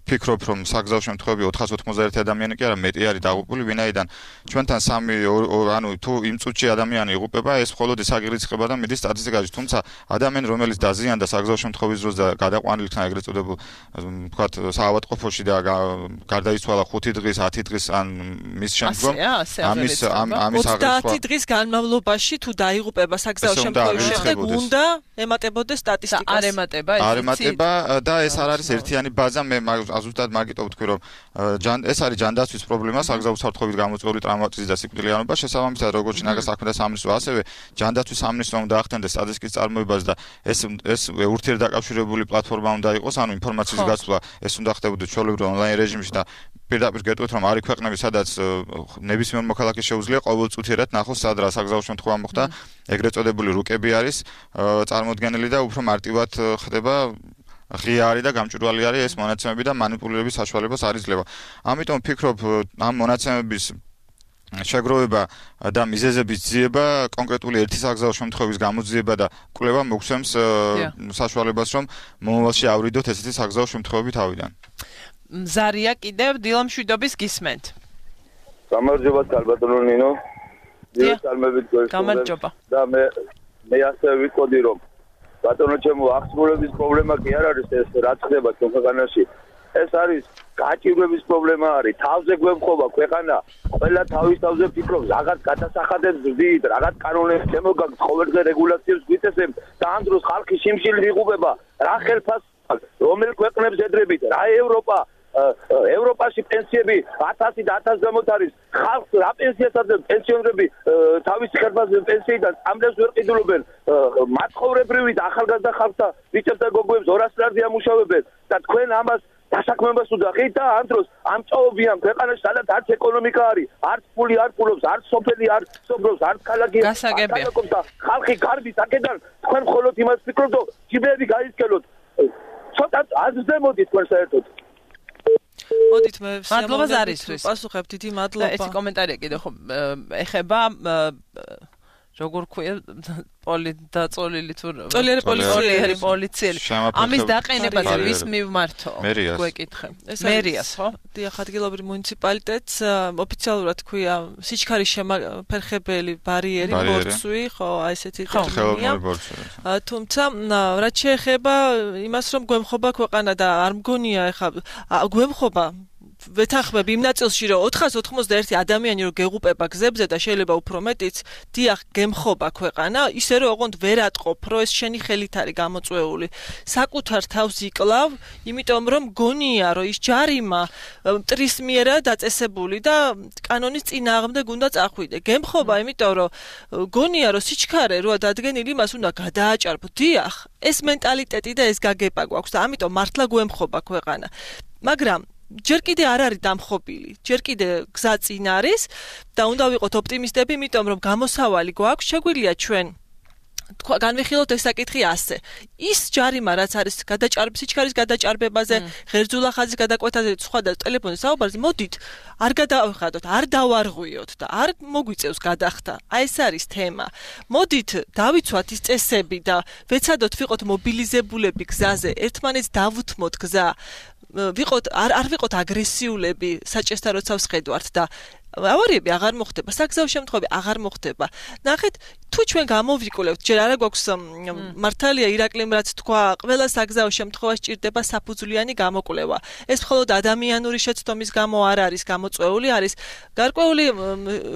E: ვფიქრობ, რომ საგზაო შემთხვევები 491 ადამიანი კი არა, მეტი არის დაღუპული, ვინაიდან ჩვენთან 3 ანუ თუ იმ წუთში ადამიანი იღუპება, ეს მხოლოდ ის აგირიცხება და მიდის სტატისტიკაში, თუმცა ადამიანი, რომელიც დაზიანდა საგზაო შემთხვევის დროს და გადაყვანილი იქნა ეგრეთ წოდებულ, ვთქვათ, საავადმყოფოში და გარდაიცვალა 5 დღის, 10 დღის ან მის შემდგომ, ამის
B: 30 დღის განმავლობაში თუ დაიღუპება საგზაო შემთხვევის შემდეგ, უნდა ემატებოდეს სტატისტიკას.
A: არ ემატება ეს.
E: არ ემატება და ეს არ არის ერთიანი ბაზა, მე ზუსტად მაგიტო ვთქვი, რომ ეს არის ჯანდაცვის პრობლემა, საგზაო საფრთხებით გამოწვეული ტრამვატიზმის და სიკვდილიანობა, შესაბამისად როგორც შინაგან საქმეთა სამინისტრო, ასევე ჯანდაცვის სამინისტრო უნდა ახდენდეს სტატისტიკის წარმოებას და ეს ურთიერთდაკავშირებული პლატფორმა უნდა იყოს, ანუ ინფორმაციის გაცვლა, ეს უნდა ხდებოდეს ჩვეულებრივ ონლაინ რეჟიმში და პირდაპირ გეტყვით, რომ არის ქვეყნები, სადაც ნებისმიერ მოქალაქეს შეუძლია ყოველწუთიერად ნახოს, სად რა საგზაო შემთხვევა მოხდა, ეგრეთ წოდებული რუკები არის წარმოდგენილი და უფრო მარტივად ხდება ღია არის და გამჭვირვალე არის ეს მონაცემები და მანიპულირების საშუალებას არ იძლევა. ამიტომ ვფიქრობ, ამ მონაცემების შეგროვება და მიზეზების ძიება, კონკრეტული ერთი საგზაო შემთხვევის გამოძიება და კვლევა მოგცემს საშუალებას, რომ მომავალში ავრიდოთ ესეთი საგზაო შემთხვევები თავიდან.
A: მზარია კიდევ დილამშვიდობის გისმენთ.
G: გამარჯობა ქალბატონო ნინო.
A: დიახ, გამარჯობა.
G: და მე ასე ვიტყოდი, რომ ბატონო ჩემო აღსრულების პრობლემა კი არ არის ეს რაც ხდება ქვეყანაში. ეს არის გაჭირვების პრობლემა არის. თავზე გვემხობა ქვეყანა, ყველა თავის თავზე ფიქრობს, რაღაც გადასახადებს ვზდით, რაღაც კანონებს შემოგაგთ, ყოველდღე რეგულაციებს გვიწესებთ და ამ დროს ხალხი შიმშილ იღუპება. რა ხელფას რომელ ქვეყნებს ედრებით? რა ევროპაში პენსიები 1000 და 1000 გამოთ არის. ხალხს რა პენსიას აძლევს? პენსიონერები თავის ხელფასზე პენსიიდან წამლებს ვერ ყიდულობენ. მაცხოვრებრივი და ახალგაზრდა ხალხთა ბიჭებს და გოგოებს 200 ლარზე ამუშავებენ და თქვენ ამას დასაქმებას უდახით და ამ დროს ამჭაობიან ქვეყანაში, სადაც არც ეკონომიკა არის, არც ფული არ ფულობს, არც სოფელი არ სოფრობს, არც ქალაქი
A: არ
G: ქალაქობს და ხალხი გარბის აქედან თქვენ მხოლოდ იმას ფიქრობთ, რომ ჯიბეები გაისკელოთ. ცოტა აზრდემოდით თქვენ საერთოდ.
B: მოდით მე
A: მადლობა ზარისთვის.
B: პასუხებ, დიდი მადლობა.
A: ეს კომენტარია კიდე ხო ეხება როგორ ქვია პოლიტდაწოლილი თუ
B: წოლიერი
A: პოლიციელი ამის დაყენებაზე ვის მივმართო გვეკითხე მერიას ხო
B: დიახ ადგილობრივ მუნიციპალიტეტს ოფიციალურად ქვია სიჩქარის შემაფერხებელი ბარიერი ბორცვი ხო აი ესეთი ტერმინია თუმცა რაც შეეხება იმას რომ გვემხობა ქვეყანა და არ მგონია ეხა გვემხობა ვეთანხმები იმ ნაწილში რომ 491 ადამიანი რომ გეღუპება გზებზე და შეიძლება უფრო მეტიც დიახ გემხობა ქვეყანა ისე რომ ოღონდ ვერ ატყობ რომ ეს შენი ხელით არის გამოწვეული საკუთარ თავს იკლავ იმიტომ რომ გონია რომ ის ჯარიმა მტრის მიერა დაწესებული და კანონის წინააღმდეგ უნდა წახვიდე გემხობა იმიტომ რომ გონია რომ სიჩქარე როა დადგენილი მას უნდა გადააჭარბო დიახ ეს მენტალიტეტი და ეს გაგება გვაქვს და ამიტომ მართლა გვემხობა ქვეყანა მაგრამ ჯერ კიდე არ არის დამხობილი, ჯერ კიდე გზა წინ არის და უნდა ვიყოთ ოპტიმისტები, იმიტომ რომ გამოსავალი გვაქვს, შეგვიძლია ჩვენ განვიხილოთ ეს საკითხი ასე. ის ჯარიმა რაც არის სიჩქარის გადაჭარბებაზე, ღერძულახაზის გადაკვეთაზე, სხვა და ტელეფონის საუბარზე, მოდით არ გადავხადოთ, არ დავარღვიოთ და არ მოგვიწევს გადახდა. აი ეს არის თემა. მოდით დავიცვათ ის წესები და ვეცადოთ ვიყოთ მობილიზებულები გზაზე, ერთმანეთს დავუთმოთ გზა. ვიყოთ არ ვიყოთ აგრესიულები საჭესთან როცა ვსხედვართ და ავარიები აღარ მოხდება, საგზაო შემთხვევები აღარ მოხდება. ნახეთ, თუ ჩვენ გამოვიკვლევთ, ჯერ არა გვაქვს მართალია ირაკლიმ რაც თქვა, ყველა საგზაო შემთხვევაში ჭირდება საფუძვლიანი გამოკვლევა. ეს მხოლოდ ადამიანური შეცდომის გამო არ არის გამოწვეული, არის გარკვეული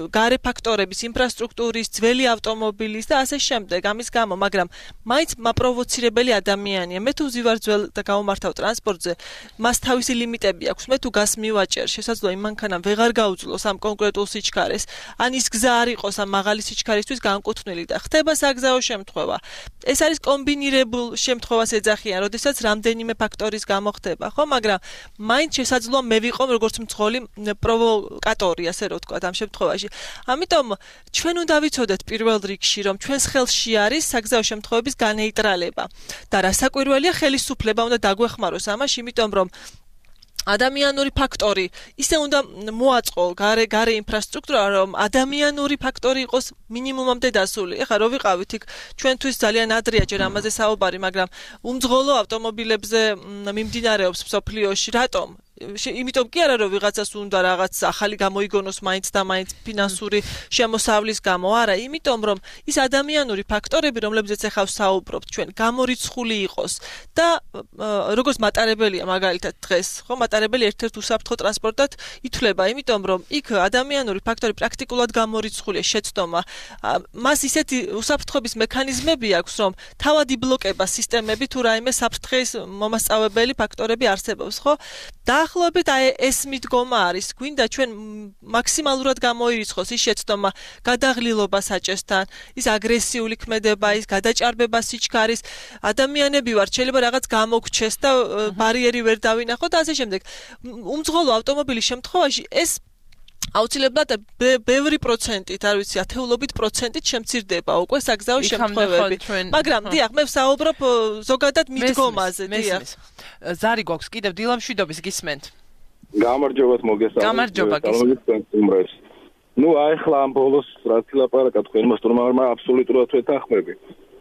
B: გარე ფაქტორების, ინფრასტრუქტურის, ძველი ავტომობილის და ასე შემდეგ. ამის გამო, მაგრამ მაინც მაპროვოცირებელი ადამიანია. მე თუ ვზივარ ძველ და გავმართავ ტრანსპორტზე, მას თავისი ლიმიტები აქვს. მე თუ გას მივაჭერ, შესაძლოა იმ მანქანამ ვეღარ გაუძლოს ამ კონკრეტულ სიჩქარეს, ან ის გზა არ იყოს ამ მაღალი სიჩქარისთვის განკუთვნილი და ხდება საგზაო შემთხვევა. ეს არის კომბინირებულ შემთხვევას ეძახიან, როდესაც რამდენიმე ფაქტორის გამო ხდება, ხო, მაგრამ მაინც შესაძლოა მე ვიყო როგორც მძღოლი პროვოკატორი, ასე რომ ვთქვათ, ამ შემთხვევაში. ამიტომ ჩვენ უნდა ვიცოდეთ პირველ რიგში, რომ ჩვენს ხელში არის საგზაო შემთხვევების განეიტრალება და რასაკვირველია, ხელისუფლება უნდა დაგვეხმაროს ამაში, იმიტომ რომ ადამიანური ფაქტორი ისე უნდა მოაწყო გარე ინფრასტრუქტურა, რომ ადამიანური ფაქტორი იყოს მინიმუმამდე დასული. ეხლა რო ვიყავით იქ ჩვენთვის ძალიან ადრეა ჯერ ამაზე საუბარი, მაგრამ უმძღოლო ავტომობილებზე მიმდინარეობს მსოფლიოში. რატომ? იმიტომ კი არა რომ ვიღაცას უნდა რაღაც ახალი გამოიგონოს მაინც და მაინც ფინანსური შემოსავლის გამო, არა, იმიტომ რომ ის ადამიანური ფაქტორები, რომლებზეც ახლა ვსაუბრობთ ჩვენ, გამორიცხული იყოს და როგორც მატარებელია მაგალითად დღეს, ხო, მატარებელი ერთ-ერთ უსაფრთხო ტრანსპორტად ითვლება, იმიტომ რომ იქ ადამიანური ფაქტორი პრაქტიკულად გამორიცხულია, შეცდომა. მას ისეთი უსაფრთხოების მექანიზმები აქვს, რომ თავად იბლოკება სისტემები თუ რაიმე საფრთხის მომასწავებელი ფაქტორები არსებობს, ხო? დაახლოებით ეს მიდგომა არის, გვინდა ჩვენ მაქსიმალურად გამოირიცხოს ის შეცდომა, გადაღლილობა საჭესთან, ის აგრესიული ქმედება, ის გადაჭარბება სიჩქარის, ადამიანები ვართ, შეიძლება რაღაც გამოგჩეს და ბარიერი ვერ დავინახოთ და ასე შემდეგ. უმძღოლო ავტომობილის შემთხვევაში ეს აუცილებლად ბევრი პროცენტით, არ ვიცი, ათეულობით პროცენტით შემცირდება უკვე საგზაო შემთხვევები. მაგრამ დიახ, მე ვსაუბრობ ზოგადად მიდგომაზე, დიახ.
A: ზარი გვაქვს კიდევ დილამშვიდობის გისმენთ.
H: გამარჯობათ მოგესალმებით.
A: გამარჯობა გისმენთ.
H: ნუ ახლა ამ ბოლოს რაც ლაპარაკა თქვენმა სტუმარმა აბსოლუტურად ვეთანხმები.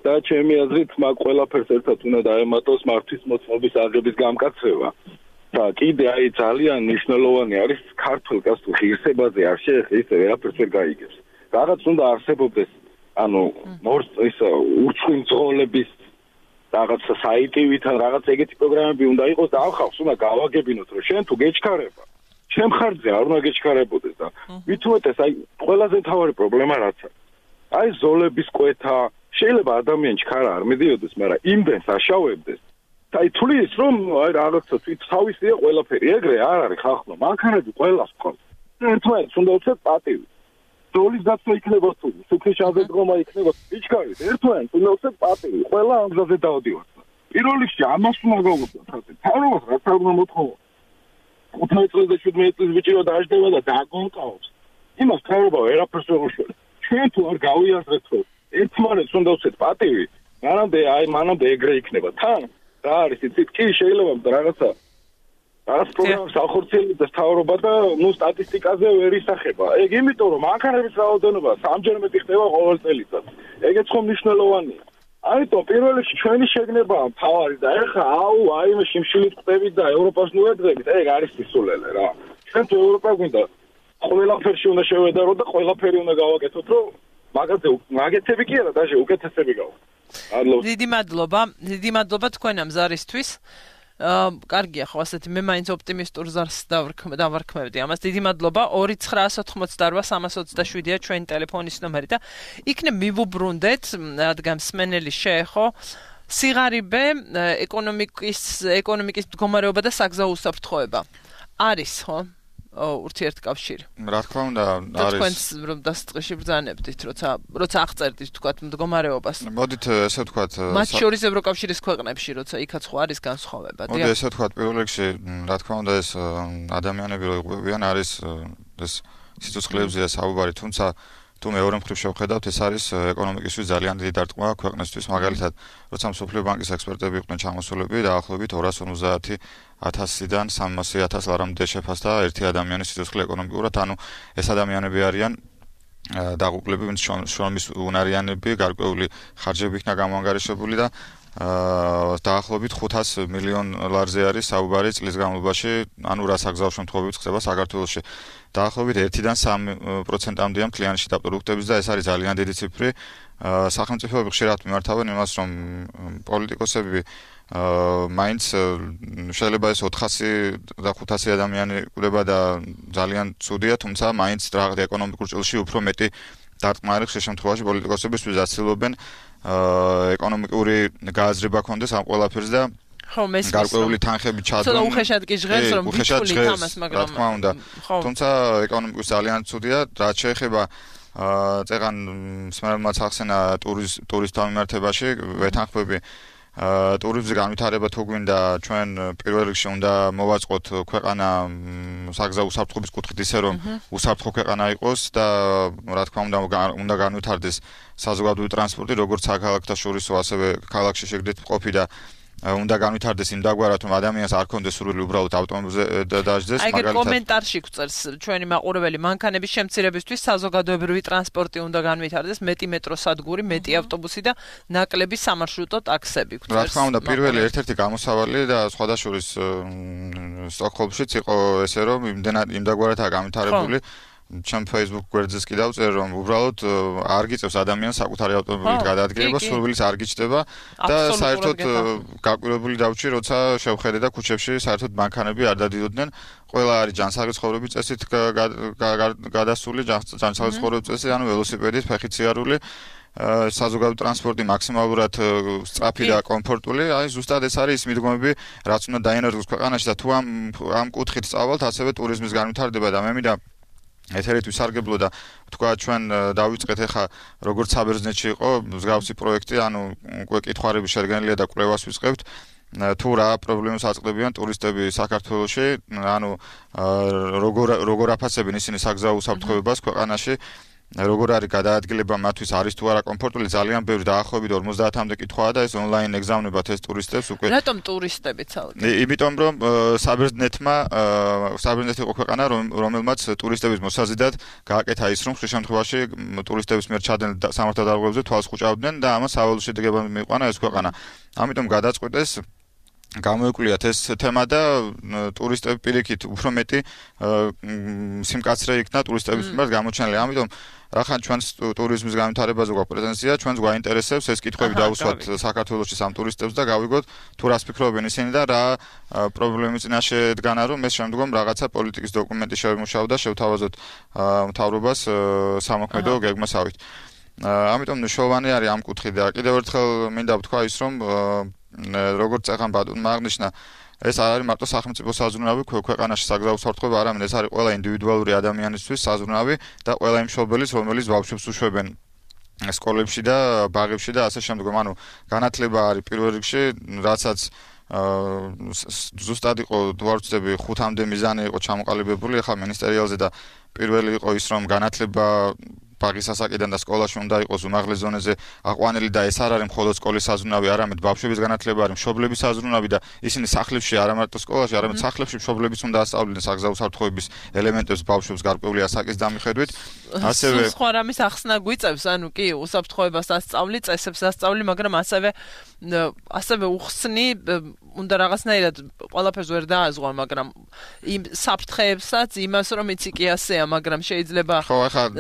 H: და ჩემი აზრით მაგ ყველაფერს ერთად უნდა დაემატოს მართვის მოწმობის აღების გამკაცრება. და კიდე აი ძალიან მნიშვნელოვანი არის ქართულ კაცთა ღირსებაზე არ შეეხება ისე ვერაფერს ვერ გაიგებს. რაღაც უნდა არსებობდეს, ანუ ის უცხიმძღოლების რაღაც საიტივით ან რაღაც ეგეთი პროგრამები უნდა იყოს და ამ ხალხს უნდა გავაგებინოთ, რომ შენ თუ გეჩქარება, შენ ხარჯზე არ უნდა გეჩქარებოდეს და ვითუეთეს აი ყველაზე მთავარი პრობლემა რაც არის. აი ზოლების კვეთა, შეიძლება ადამიანი ჩქარა არ მიდიოდეს, მაგრამ იმდენს აშავებდეს. აი თulis რომ აი რაღაცა თვით თავისია ყველაფერი, ეგრე არ არის ხალხო, მანქანები ყველას ყავს. ერთმანეთს უნდა უცებ პატივი. ზოლის დაცვა იქნება თუ, სუფრის აღდგომა იქნება, იჩქარით, ერთმანეთს უნდა უცებ პატივი. ყველა ამ გზაზე დავდივართ. პირველ რიგში ამას უნდა გავუგებთ, თავრობას რაც არ უნდა მოთხოვო. 15 წლის და 17 წლის ბიჭი რომ დაждდება და დაგონკავს. იმას თავრობა ვერაფერს ვერ უშველებს. ჩვენ თუ არ გავიაზრეთ, რომ ერთმანეთს უნდა უცებ პატივი, მანამდე ეგრე იქნება. თან რა არის იცით კი შეიძლება რაღაცა პროგრამას ახორციელებს თავრობა და ნუ სტატისტიკაზე ვერ ისახება. ეგ იმიტომ რომ მანქანების რაოდენობა 3-ჯერ მეტი ხდება ყოველ წელიწად. ეგეც ხომ მნიშვნელოვანია. ამიტომ პირველ რიგში ჩვენი შეგნებაა მთავარი და ეხლა აი მე შიმშილით ხდებით და ევროპას ნუედრებით, ეგ არის სისულელე რა. ჩვენ თუ ევროპა გვინდა ყველაფერში უნდა შევედარო და ყველაფერი უნდა გავაკეთოთ, რომ მაგაზე მაგეთები კი არა, დაჟე უკეთესები გავაკეთოთ.
A: დიდი მადლობა თქვენ ამ ზარისთვის. კარგია ხო ასეთი მე მაინც ოპტიმისტურ ზარს დავარქმევდი ამას. დიდი მადლობა. 2988327-ია ჩვენი ტელეფონის ნომერი და იქნებ მივუბრუნდეთ, რადგან მსმენელი შეეხო სიღარიბე, ეკონომიკის მდგომარეობა და საგზაო უსაფრთხოება. არის ხო? ურთიერთკავშირი.
E: რა თქმა უნდა, არის.
A: თქვენს რომ დასაწყისში ბრძანებდით, როცა აღწერდით თქვათ მდგომარეობას.
E: მოდით ესე ვთქვათ,
A: მათ შორის ევროკავშირის ქვეყნებში, როცა იქაც ხო არის განსხვავება,
E: დიახ. მოდით ესე ვთქვათ, პირველ რიგში, რა თქმა უნდა, ეს ადამიანები რო იყვებიან, არის ეს სიცოცხლეებზეა საუბარი, თუმცა თუ მეორე მხრივ შევხედავთ, ეს არის ეკონომიკისთვის ძალიან დიდი დარტყმა ქვეყნისთვის, მაგალითად, როცა მსოფლიო ბანკის ექსპერტები იყვნენ ჩამოსულები, დაახლოებით 250,000-დან 300,000 ლარამდე შეფასდა ერთი ადამიანის სიცოცხლე ეკონომიკურად, ანუ ეს ადამიანები არიან დაღუპლები, ვინც შრომის უნარიანები, გარკვეული ხარჯები იქნა გამოანგარიშებული და დაახლოებით 500 მილიონ ლარზე არის საუბარი წლის განმავლობაში, ანუ რა საგზაო შემთხვევებიც ხდება საქართველოში. დაახლოებით 1-დან 3%-მდეა მთლიანში და პროდუქტების და ეს არის ძალიან დიდი ციფრი. სახელმწიფოები ხშირად მიმართავენ იმას, რომ პოლიტიკოსები მაინც შეიძლება ეს 400 და 500 ადამიანი ყდება და ძალიან ცუდია, თუმცა მაინც რაღაც ეკონომიკურ ჭრილში უფრო მეტი დარტყმა არის ხშირ შემთხვევაში პოლიტიკოსებისთვის ასწავლობენ ეკონომიკური გააზრება ქონდეს ამ ყველაფერს და გარკვეული თანხები ჩადონ.
A: ცოტა უხეშად კი ჟღერს რომ ვიჩვით ამას, მაგრამ
E: რა თქმა უნდა. თუმცა ეკონომიკურ ძალიან ცუდია, რაც შეეხება წეგან მსმენელმაც ახსენა ტურისტთა მიმართებაში ვეთანხმები ტურიზმის განვითარება თუ გვინდა ჩვენ პირველ რიგში უნდა მოვაწყოთ ქვეყანა საგზაო უსაფრთხოების კუთხით ისე რომ უსაფრთხო ქვეყანა იყოს და რა თქმა უნდა განვითარდეს საზოგადოებრივი ტრანსპორტი როგორც საქალაქოთა შორისო ასევე ქალაქში შეგდეთ ყოფი და უნდა განვითარდეს იმ დაგვარად რომ ადამიანს არ კონდეს სურვილი უბრალოდ ავტომობილზე დაждდეს
A: მაგალითად აი კომენტარში გვწერს ჩვენი მაყურებელი მანქანების შემცირებისთვის საზოგადოებრივი ტრანსპორტი უნდა განვითარდეს მეტი მეტროსადგური მეტი ავტობუსი და ნაკლები სამარშრუტო ტაქსები
E: გვწერს რა თქმა უნდა პირველი ერთ-ერთი გამოსავალი და სხვადასხვის სტოკჰოლმშიც იყო ესე რომ იმ დაგვარადაა განვითარებული ჩემ Facebook გვერდზეც კი დავწერ რომ უბრალოდ არ გიწევს ადამიანს საკუთარი ავტომობილით გადაადგილება, სურვილის არ გიჩნდება და საერთოდ გაკვირვებული დავჭი, როცა შევხედე და ქუჩებში საერთოდ მანქანები არ დადიოდნენ. ყველა არის ჯანსაღი ცხოვრების წესით გადასული, ჯანსაღი ცხოვრების წესი, ანუ ველოსიპედით, ფეხით-სიარული საზოგადოებრივი ტრანსპორტი მაქსიმალურად სწრაფი და კომფორტული, აი ზუსტად ეს არის მიდგომები, რაც უნდა დაინერგოს ქვეყანაში და თუ ამ კუთხით სწავლთ, ასევე ტურიზმის განვითარდება და მე მინდა ეთერით ვისარგებლო და თქვა ჩვენ დავიწყეთ ახლა როგორც საბერძნეთში იყო მსგავსი პროექტი, ანუ უკვე კითხავები შედგენილია და კვლევას ვისყევთ თუ რა პრობლემებს აწყდებიან ტურისტები საქართველოში, ანუ როგორ აფასებენ ისინი საგზაო უსაფრთხოებას ქვეყანაში, როგორ არის გადაადგილება მათთვის არის თუ არა კომფორტული, ძალიან ბევრი დაახლოებით 50-მდე კითხვაა და ეს ონლაინ ეგზავნებათ ეს ტურისტებს უკვე.
A: რატომ ტურისტები ცალკე?
E: იმიტომ რომ საბერძნეთი იყო ქვეყანა რომელმაც ტურისტების მოსაზიდად გააკეთა ის რომ ხშირ შემთხვევაში ტურისტების მიერ ჩადენ სამართალდამცავებზე თვალს ხუჭავდნენ და ამას სავალო შედეგებად მიიყვანა ეს ქვეყანა. ამიტომ გადაწყვეტეს გამოეკვლიათ ეს თემა და ტურისტები პირიქით უფრო მეტი სიმკაცრე იქნა ტურისტების მიმართ გამოჩენილი. ამიტომ რახან ჩვენს ტურიზმის განვითარებაზე გვაქვს პრეტენზია, ჩვენს გვაინტერესებს ეს კითხვები დავუსვათ საქართველოში სამ ტურისტებს და გავიგოთ თუ რას ფიქრობენ ისინი და რა პრობლემის წინაშე დგანა რომ ეს შემდგომ რაღაცა პოლიტიკის დოკუმენტი შევიმუშავოთ და შევთავაზოთ მთავრობას სამოქმედო გეგმასავით. ამიტომ მნიშვნელოვანი არის ამ კუთხით და კიდევ ერთხელ მინდა ვთქვა ის რომ როგორც წეგან ბატონმა აღნიშნა ეს არ არის მარტო სახელმწიფო საზრუნავი ქვეყანაში საგზაო უსაფრთხოება, არამედ ეს არის ყველა ინდივიდუალური ადამიანისთვის საზრუნავი და ყველა იმ მშობელის, რომელიც ბავშვებს უშვებენ სკოლებში და ბაღებში და ასე შემდგომ. ანუ განათლება არის პირველ რიგში, რასაც ზუსტად იყო ვარცდები 5-მდე მიზანი იყო ჩამოყალიბებული ახლა მინისტერიალზე და პირველი იყო ის რომ განათლება ბაღის ასაკიდან და სკოლაში უნდა იყოს უმაღლეს ზონაზე აყვანილი და ეს არ არის მხოლოდ სკოლის საზრუნავი, არამედ ბავშვების განათლება არის მშობლების საზრუნავი და ისინი სახლებში არა მარტო სკოლაში, არამედ სახლებში მშობლების უნდა ასწავლდნენ საგზაო უსაფრთხოების ელემენტებს ბავშვებს გარკვეული ასაკის დამიხედვით. ასევე
A: სხვა რამის ახსნა გვიწევს, ანუ კი უსაფრთხოებას ასწავლი, წესებს ასწავლი, მაგრამ ასევე უხსნი უნდა რაღაცნაირად ყველაფერს ვერ დააზღვა, მაგრამ იმ საფრთხეებსაც იმას რომ იცი კი ასეა, მაგრამ შეიძლება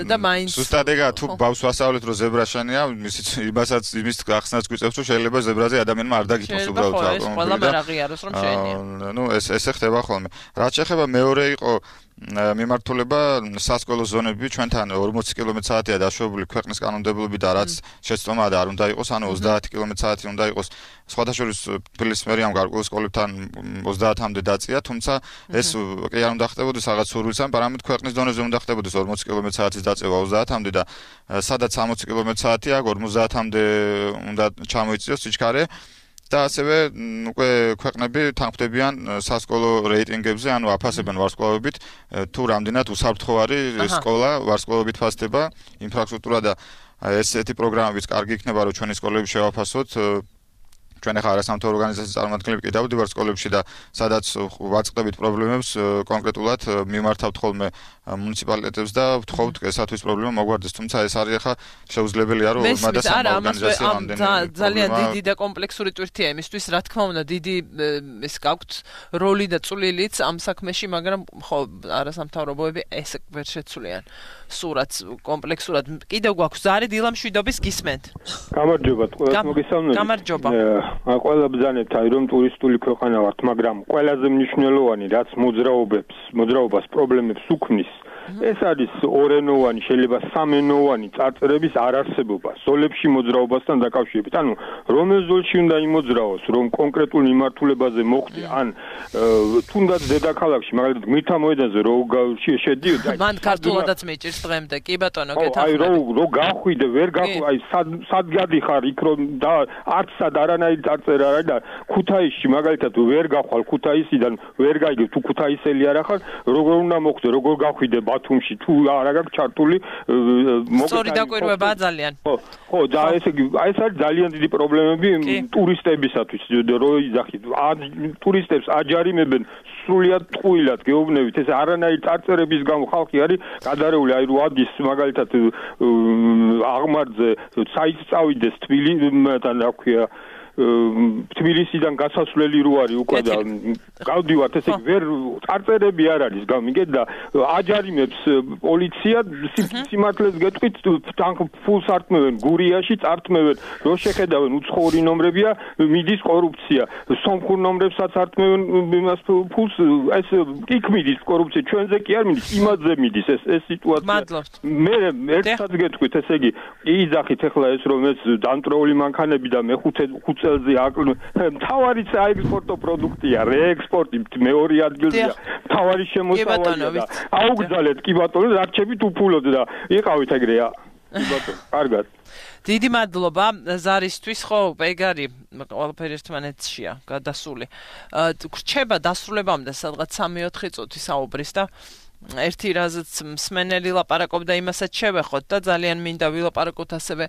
A: და მაინც
E: ზუსტად ეგა თუ ბავშვს ვასწავლეთ რომ ზებრა შენია, იმის ახსნაც გვიწევს რომ შეიძლება ზებრაზე ადამიანმა არ დაგითხოვს უბრალოდ
A: ავტომობილი. ყველა ვერ აღიაროს რომ შენია.
E: ნუ ესე ხდება ხოლმე. რაც შეეხება მეორე იყო მიმართულება სასკოლო ზონები ჩვენთან 40 კმ/სთ-ია დაშვებული ქვეყნის კანონმდებლობით და რაც შეცდომა და არ უნდა იყოს, ანუ 30 კმ/სთ უნდა იყოს. სხვადასხვა თბილისის მერიამ გარკვეულ სკოლებთან 30-მდე დაწია, თუმცა ეს კი არ უნდა ხდებოდეს რაღაც სურვილთან, არამედ ქვეყნის დონეზე უნდა ხდებოდეს 40 კმ/სთ-ის დაწევა 30-მდე და სადაც 60 კმ/სთ-ია, 50-მდე უნდა ჩამოიწიოს სიჩქარე. და ასევე უკვე ქვეყნები თანხმდებიან სასკოლო რეიტინგებზე, ანუ აფასებენ ვარსკვლავებით, თუ რამდენად უსაფრთხო არის სკოლა, ვარსკვლავებით ფასდება ინფრასტრუქტურა და ესეთი პროგრამებიც კარგი იქნება, რომ ჩვენი სკოლები შევაფასოთ. ჩვენ ახლა არასამთავრობო ორგანიზაციის წარმომადგენლები კი დავდივართ სკოლებში და სადაც ვაწყდებით პრობლემებს კონკრეტულად მიმართავთ ხოლმე მუნიციპალიტეტებს და ვთხოვთ ესათვის პრობლემა მოგვარდეს, თუმცა ეს არის ახლა შეუძლებელია რომ ორმა და სამმა ორგანიზაციამ ამდენი
A: ძალიან დიდი და კომპლექსური ტვირთია იმისთვის, რა თქმა უნდა, დიდი ეს გაქვთ როლი და წვლილიც ამ საქმეში, მაგრამ ხო არასამთავრობოები ეს ვერ შეცვლიან. სურათს კომპლექსურად კიდევ გვაქვს ზარი დილამშვიდობის გისმენთ.
I: გამარჯობა, ყველას მოგესალმებით.
A: გამარჯობა.
I: ყველა ბრძანებთ აი რომ ტურისტული ქვეყანა ვართ, მაგრამ ყველაზე მნიშვნელოვანი რაც მოძრაობას პრობლემებს უქმნის ეს არის ორენოვანი, შეიძლება სამენოვანი წარწერების არარსებობა ზოლებში მოძრაობასთან დაკავშირებით. ანუ რომელ ზოლში უნდა იმოძრაოს, რომ კონკრეტულ მიმართულებაზე მოხვდე, ან თუნდაც დედაქალაქში, მაგალითად გმირთა მოედანზე რო შედიოდი, აი
A: მან ქართულადაც მეჭირს დღემდე. კი ბატონო, გეთახმები.
I: აი რო გახვიდე, ვერ გახვი, აი სად გადიხარ იქ რომ და არც სად არანაირი წარწერა არ არის და ქუთაისში მაგალითად ვერ გახვალ ქუთაისიდან, ვერ გაიგებ თუ ქუთაისელი არ ახარ, როგორ უნდა მოხვდე, როგორ გახვიდე ბათუმში თუ არა გაქვს ჩართული
A: სწორი დაკვირვებაა ძალიან.
I: ხო, და ესე იგი, ეს არის ძალიან დიდი პრობლემები ტურისტებისათვის, რო იძახით. ტურისტებს აჯარიმებენ სრულიად ტყუილად გეუბნებით, ეს არანაირი წარწერების გამო ხალხი არის გადარეული, აი რო ადის მაგალითად აღმართზე საით წავიდეს თბილისიდან, რა ქვია, თბილისიდან გასასვლელი რო არის უკვე და გავდივართ, ესე იგი ვერ წარწერები არ არის გამიგეთ და აჯარიმებს პოლიცია სიმართლეს გეტყვით ფულს არტმევენ გურიაში წარტმევენ რო შეხედავენ უცხოური ნომრებია მიდის კორუფცია სომხურ ნომრებსაც არტმევენ იმას ფულს ეს იქ მიდის კორუფცია ჩვენზე კი არ მიდის იმადზე მიდის ეს სიტუაცია მე ერთსაც გეტყვით ესე იგი იძახით ახლა ეს რომ ეს დამტრეული მანქანები და მეხუთე წელზე მთავარი საექსპორტო პროდუქტია, რეექსპორტი მეორე ადგილზეა. მთავარი შემოსავალია და აუგზალეთ კი ბატონო, რარჩებით უფულოდ და იყავით ეგრეა. კი ბატონო, კარგად.
A: დიდი მადლობა ზარისთვის, ხო, ეგარი ყველაფერი ერთმანეთშია გადასული. რჩება დასრულებამდე სადღაც 3-4 წუთი საუბრის და ერთი რაზეც მსმენელი ლაპარაკობდა იმასაც შევეხოთ და ძალიან მინდა ვილაპარაკოთ ასევე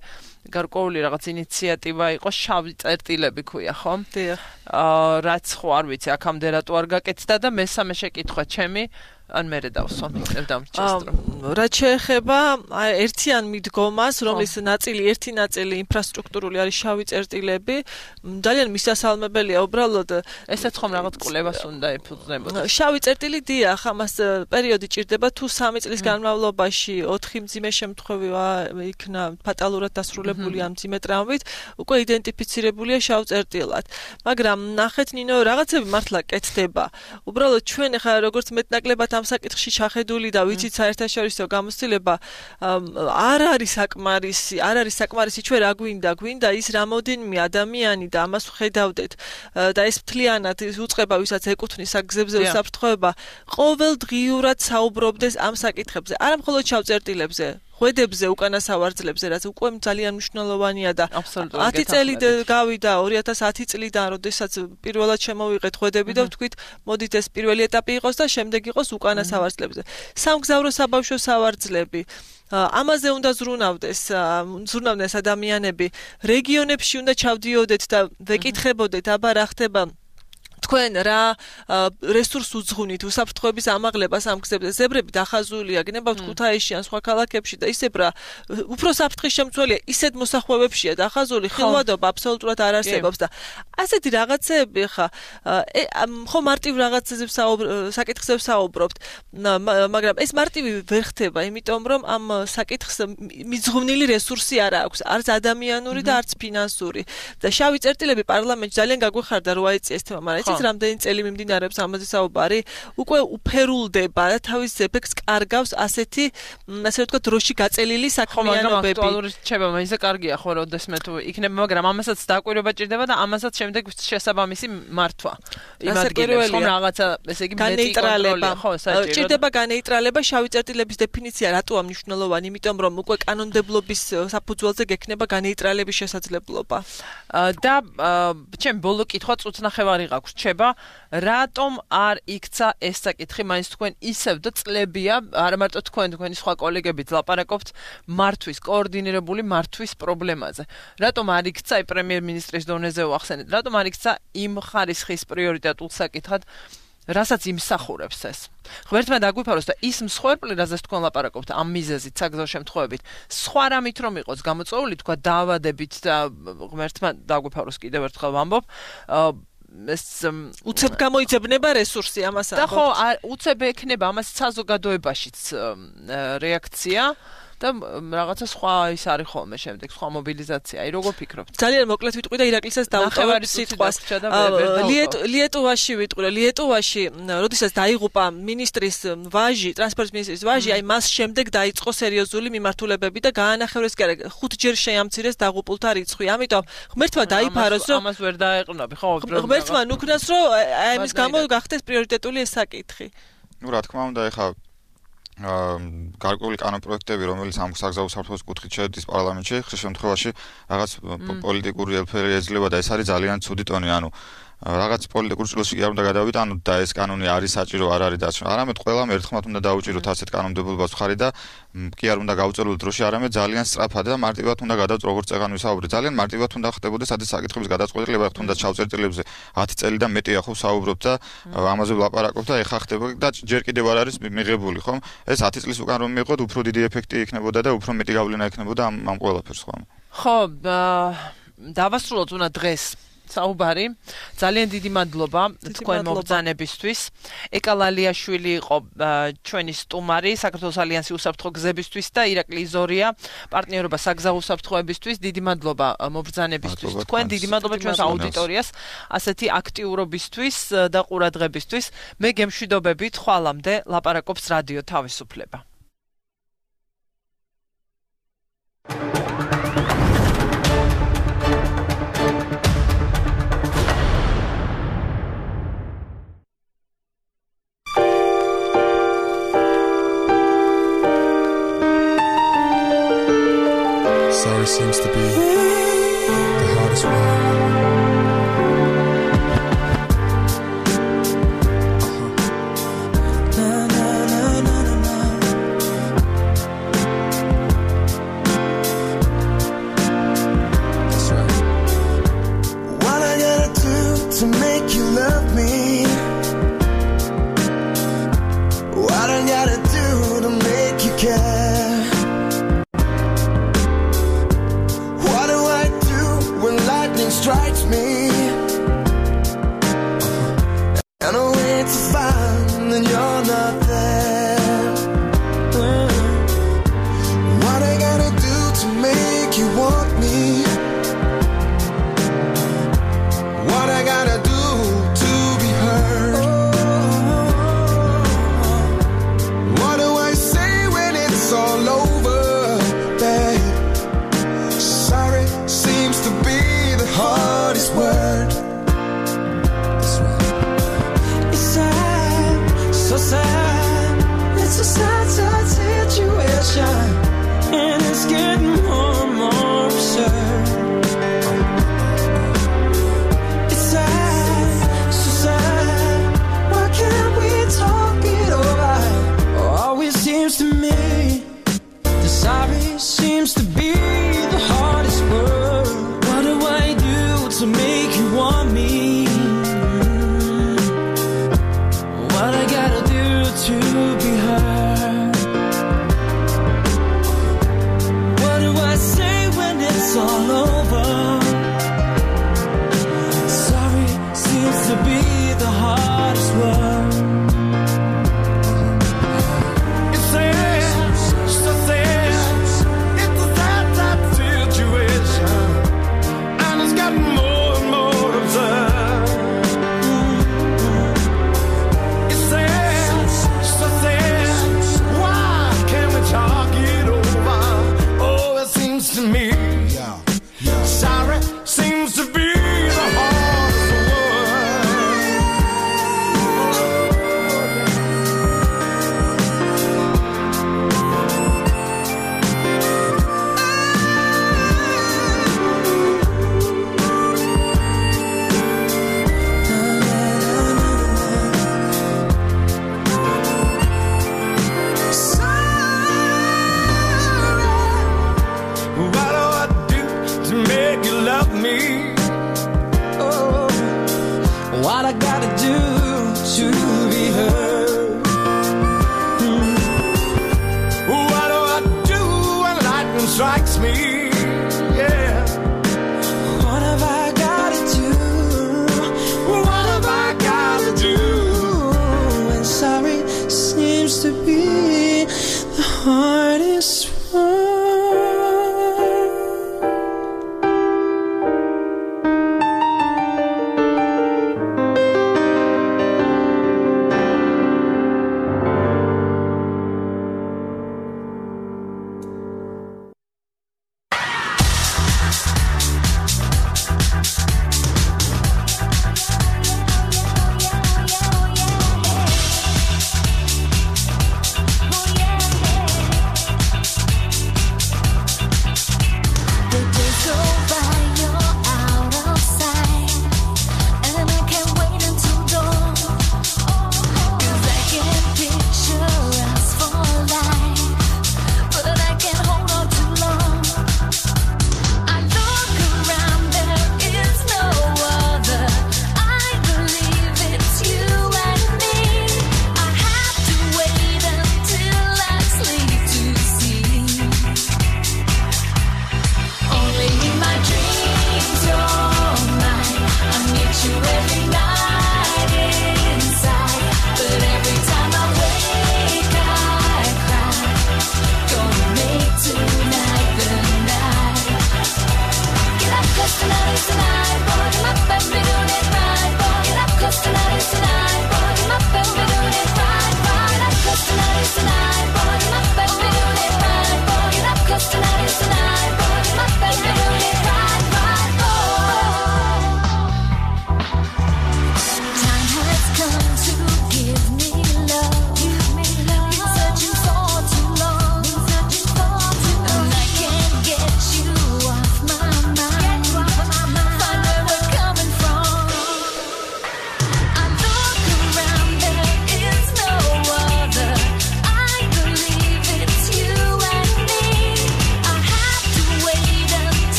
A: გარკვეული რაღაც ინიციატივა იყო შავი წერტილები ქვია ხო?
B: დიახ.
A: რაც ხო არ ვიცი აქამდე რატო არ გაკეთდა და მესამე შეკითხვა ჩემი ან მე დავსვამ
B: რაც შეეხება ერთიან მიდგომას, რომლის ერთი ნაწილი ინფრასტრუქტურული არის შავი წერტილები, ძალიან მისასალმებელია უბრალოდ
A: ესეც ხომ რაღაც კვლევას უნდა ეფუძნებოდეს.
B: შავი წერტილი დიახ, ამას პერიოდი ჭირდება თუ 3 წლის განმავლობაში 4 მძიმე შემთხვევა იქნა ფატალურად დასრულებული ამ მძიმე ტრამვით, უკვე იდენტიფიცირებულია შავ წერტილად. მაგრამ ნახეთ ნინო, რაღაცები მართლა კეთდება. უბრალოდ ჩვენ ახლა როგორც მეტნაკლებად ამ საკითხში ჩახედული და ვიცით საერთაშორისო გამოცდილება არ არის საკმარისი ჩვენ რა გვინდა ის რამოდენიმე ადამიანი და ამას ვხედავდეთ და ეს მთლიანად უწყება ვისაც ეკუთვნის აქ გზებზე უსაფრთხოება ყოველდღიურად საუბრობდეს ამ საკითხებზე არა მხოლოდ შავ წერტილებზე ხვედებზე უკანა სავარძლებზე რაც უკვე ძალიან მნიშვნელოვანია და 10 წელი გავიდა 2010 წლიდან როდესაც პირველად შემოვიღეთ ხვედები და ვთქვით მოდით ეს პირველი ეტაპი იყოს და შემდეგ იყოს უკანა სავარძლებზე სამგზავრო საბავშვო სავარძლები ამაზე უნდა ზრუნავდნენ ადამიანები რეგიონებში უნდა ჩავდიოდეთ და ვეკითხებოდეთ აბა რა ხდება თქვენ რა რესურს უძღვნით უსაფრთხოების ამაღლებას ამ გზებზე ზებრები დახაზულია გნებავთ ქუთაისში ან სხვა ქალაქებში და ისევ რა უფრო საფრთხის შემცველია ისეთ მოსახვევებშია დახაზული ხილვადობა აბსოლუტურად არ არსებობს და ასეთი რაღაცეები ხა ხო მარტივ რაღაცებზე საკითხებზე საუბრობთ მაგრამ ეს მარტივი ვერ ხდება იმიტომ რომ ამ საკითხს მიძღვნილი რესურსი არ აქვს არც ადამიანური და არც ფინანსური და შავი წერტილები პარლამენტში ძალიან გაგვეხარდა რო აიწია ეს თემა მაგრამ რამდენი წელი მიმდინარეობს ამაზე საუბარი უკვე უფერულდება და თავის ეფექტს კარგავს ასეთი ასე ვთქვათ დროში გაწელილი საქმიანობები.
A: ხო, მაგრამ რჩება, მაინც კარგია ხო, როდესმე თუ იქნება, მაგრამ ამასაც დაკვირვება ჭირდება და ამასაც შემდეგ შესაბამისი მართვა. იმ ადგილებში ხომ რაღაცა, ესე იგი მეტი კონტროლი ხო, საჭირო.
B: ჭირდება განეიტრალება შავი წერტილების დეფინიცია რატოა მნიშვნელოვანი, იმიტომ რომ უკვე კანონმდებლობის საფუძველზე გექნება განეიტრალების შესაძლებლობა.
A: და ჩემ ბოლო კითხვა წუთნახევარი გაქვს. რატომ არ იქცა ეს საკითხი მაინც თქვენ ისევ და წლებია არა მარტო თქვენი სხვა კოლეგებიც ლაპარაკობთ მართვის კოორდინირებული მართვის პრობლემაზე რატომ არ იქცა პრემიერ-მინისტრის დონეზე ვახსენეთ რატომ არ იქცა იმ ხარისხის პრიორიტეტულ საკითხად რასაც იმსახურებს ეს. ღმერთმა დაგვიფაროს და ის მსხვერპლი, რაზეც თქვენ ლაპარაკობთ, ამ მიზეზით, საგზაო შემთხვევებით, სხვა რამით რომ იყოს გამოწვეული, თქვა დაავადებით და ღმერთმა დაგვიფაროს კიდევ ერთხელ ვამბობ, ეს
B: უცებ გამოიწებნება რესურსი ამას ამბობთ.
A: და ხო, უცებ ექნება ამას საზოგადოებაშიც რეაქცია. და რაღაცა სხვა ის არის ხოლმე შემდეგ სხვა მობილიზაცია. აი როგორ ფიქრობთ?
B: ძალიან მოკლედ ვიტყვი და ირაკლისას დავუტოვებ სიტყვას. ლიეტუვაში ვიტყვი, ლიეტუვაში, როდესაც დაიღუპა მინისტრის ვაჟი, ტრანსპორტის მინისტრის ვაჟი, აი მას შემდეგ დაიწყო სერიოზული მიმართულებები და გაანახევრეს კი არა, 5 ჯერ შეამცირეს დაღუპულთა რიცხვი. ამიტომ ღმერთმა დაიფაროს, რომ
A: ამას ვერ დაეყრდნობი, ხო?
B: ღმერთმა ნუქნას, რომ აი ამის გამო გახდეს პრიორიტეტული ეს საკითხი.
E: ნუ რა თქმა უნდა, ეხლა გარკვეული კანონპროექტები, რომელიც ამ საგზაო საფრთხის კუთხით შედის პარლამენტში, ხშირ შემთხვევაში რაღაც პოლიტიკური ელფერი ეძლევა და ეს არის ძალიან ცუდი ტონი, ანუ რაღაც პოლიტიკურ ჭრილში არ უნდა გადავიტანოთ და ეს კანონი არის საჭირო, არ არის დაცვა. არამედ ყველამ ერთხმად უნდა დაუჭიროთ ასეთ კანონმდებლობას მხარი და კი არ უნდა გაუწევლოთ დროში, არამედ ძალიან სწრაფად და მარტივად უნდა გადავწყვეტ, როგორც წეგან ვისაუბრეთ. ძალიან მარტივად უნდა ხდებოდეს ადრე საკითხების გადაწყვეტილება, თუნდაც ჩავწერტილებზე 10 წელი და მეტია ხო საუბრობთ და ამაზე ვლაპარაკობთ და ეხა ხდება და ჯერ კიდევ არ არის მიღებული, ხომ? ეს 10 წლის უკან რომ მიიღოთ, უფრო დიდი ეფექტი იქნებოდა და უფრო მეტი გავლენა იქნებოდა ამ ყველაფერს, ხო?
A: ხო, დავასრულოთ უნდა დღეს საუბარი. ძალიან დიდი მადლობა თქვენ მობრძანებისთვის. ეკა ლალიაშვილი იყო ჩვენი სტუმარი საქართველოს ალიანსი უსაფრთხო გზებისთვის და ირაკლი იზორია პარტნიორობა საგზაო უსაფრთხოებისთვის. დიდი მადლობა მობრძანებისთვის. თქვენ დიდი მადლობა ჩვენს აუდიტორიას ასეთი აქტიურობისთვის და ყურადღებისთვის. მე გემშვიდობებით ხვალამდე ლაპარაკობს რადიო თავისუფლება.
J: Sorry seems to be the hardest one. That's right.
K: What I gotta do to make you love me? What I gotta do to make you care? Strikes me and I wait to find that you're not there. What I gotta do to make you want me? What I gotta do to be heard? What do I say when it's all strikes me. Yeah. What have I gotta do? What have I gotta do? And sorry seems to be the hardest one.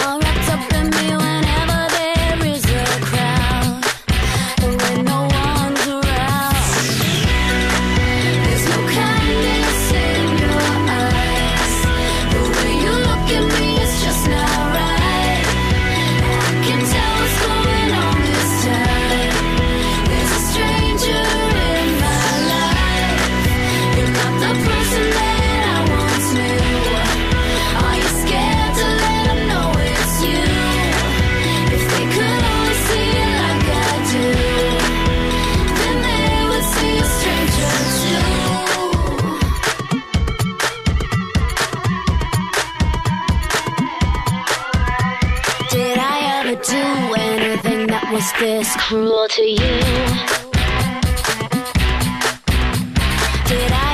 L: All wrapped up in me whenever there is a crowd. ever do anything that was this cruel to you? Did I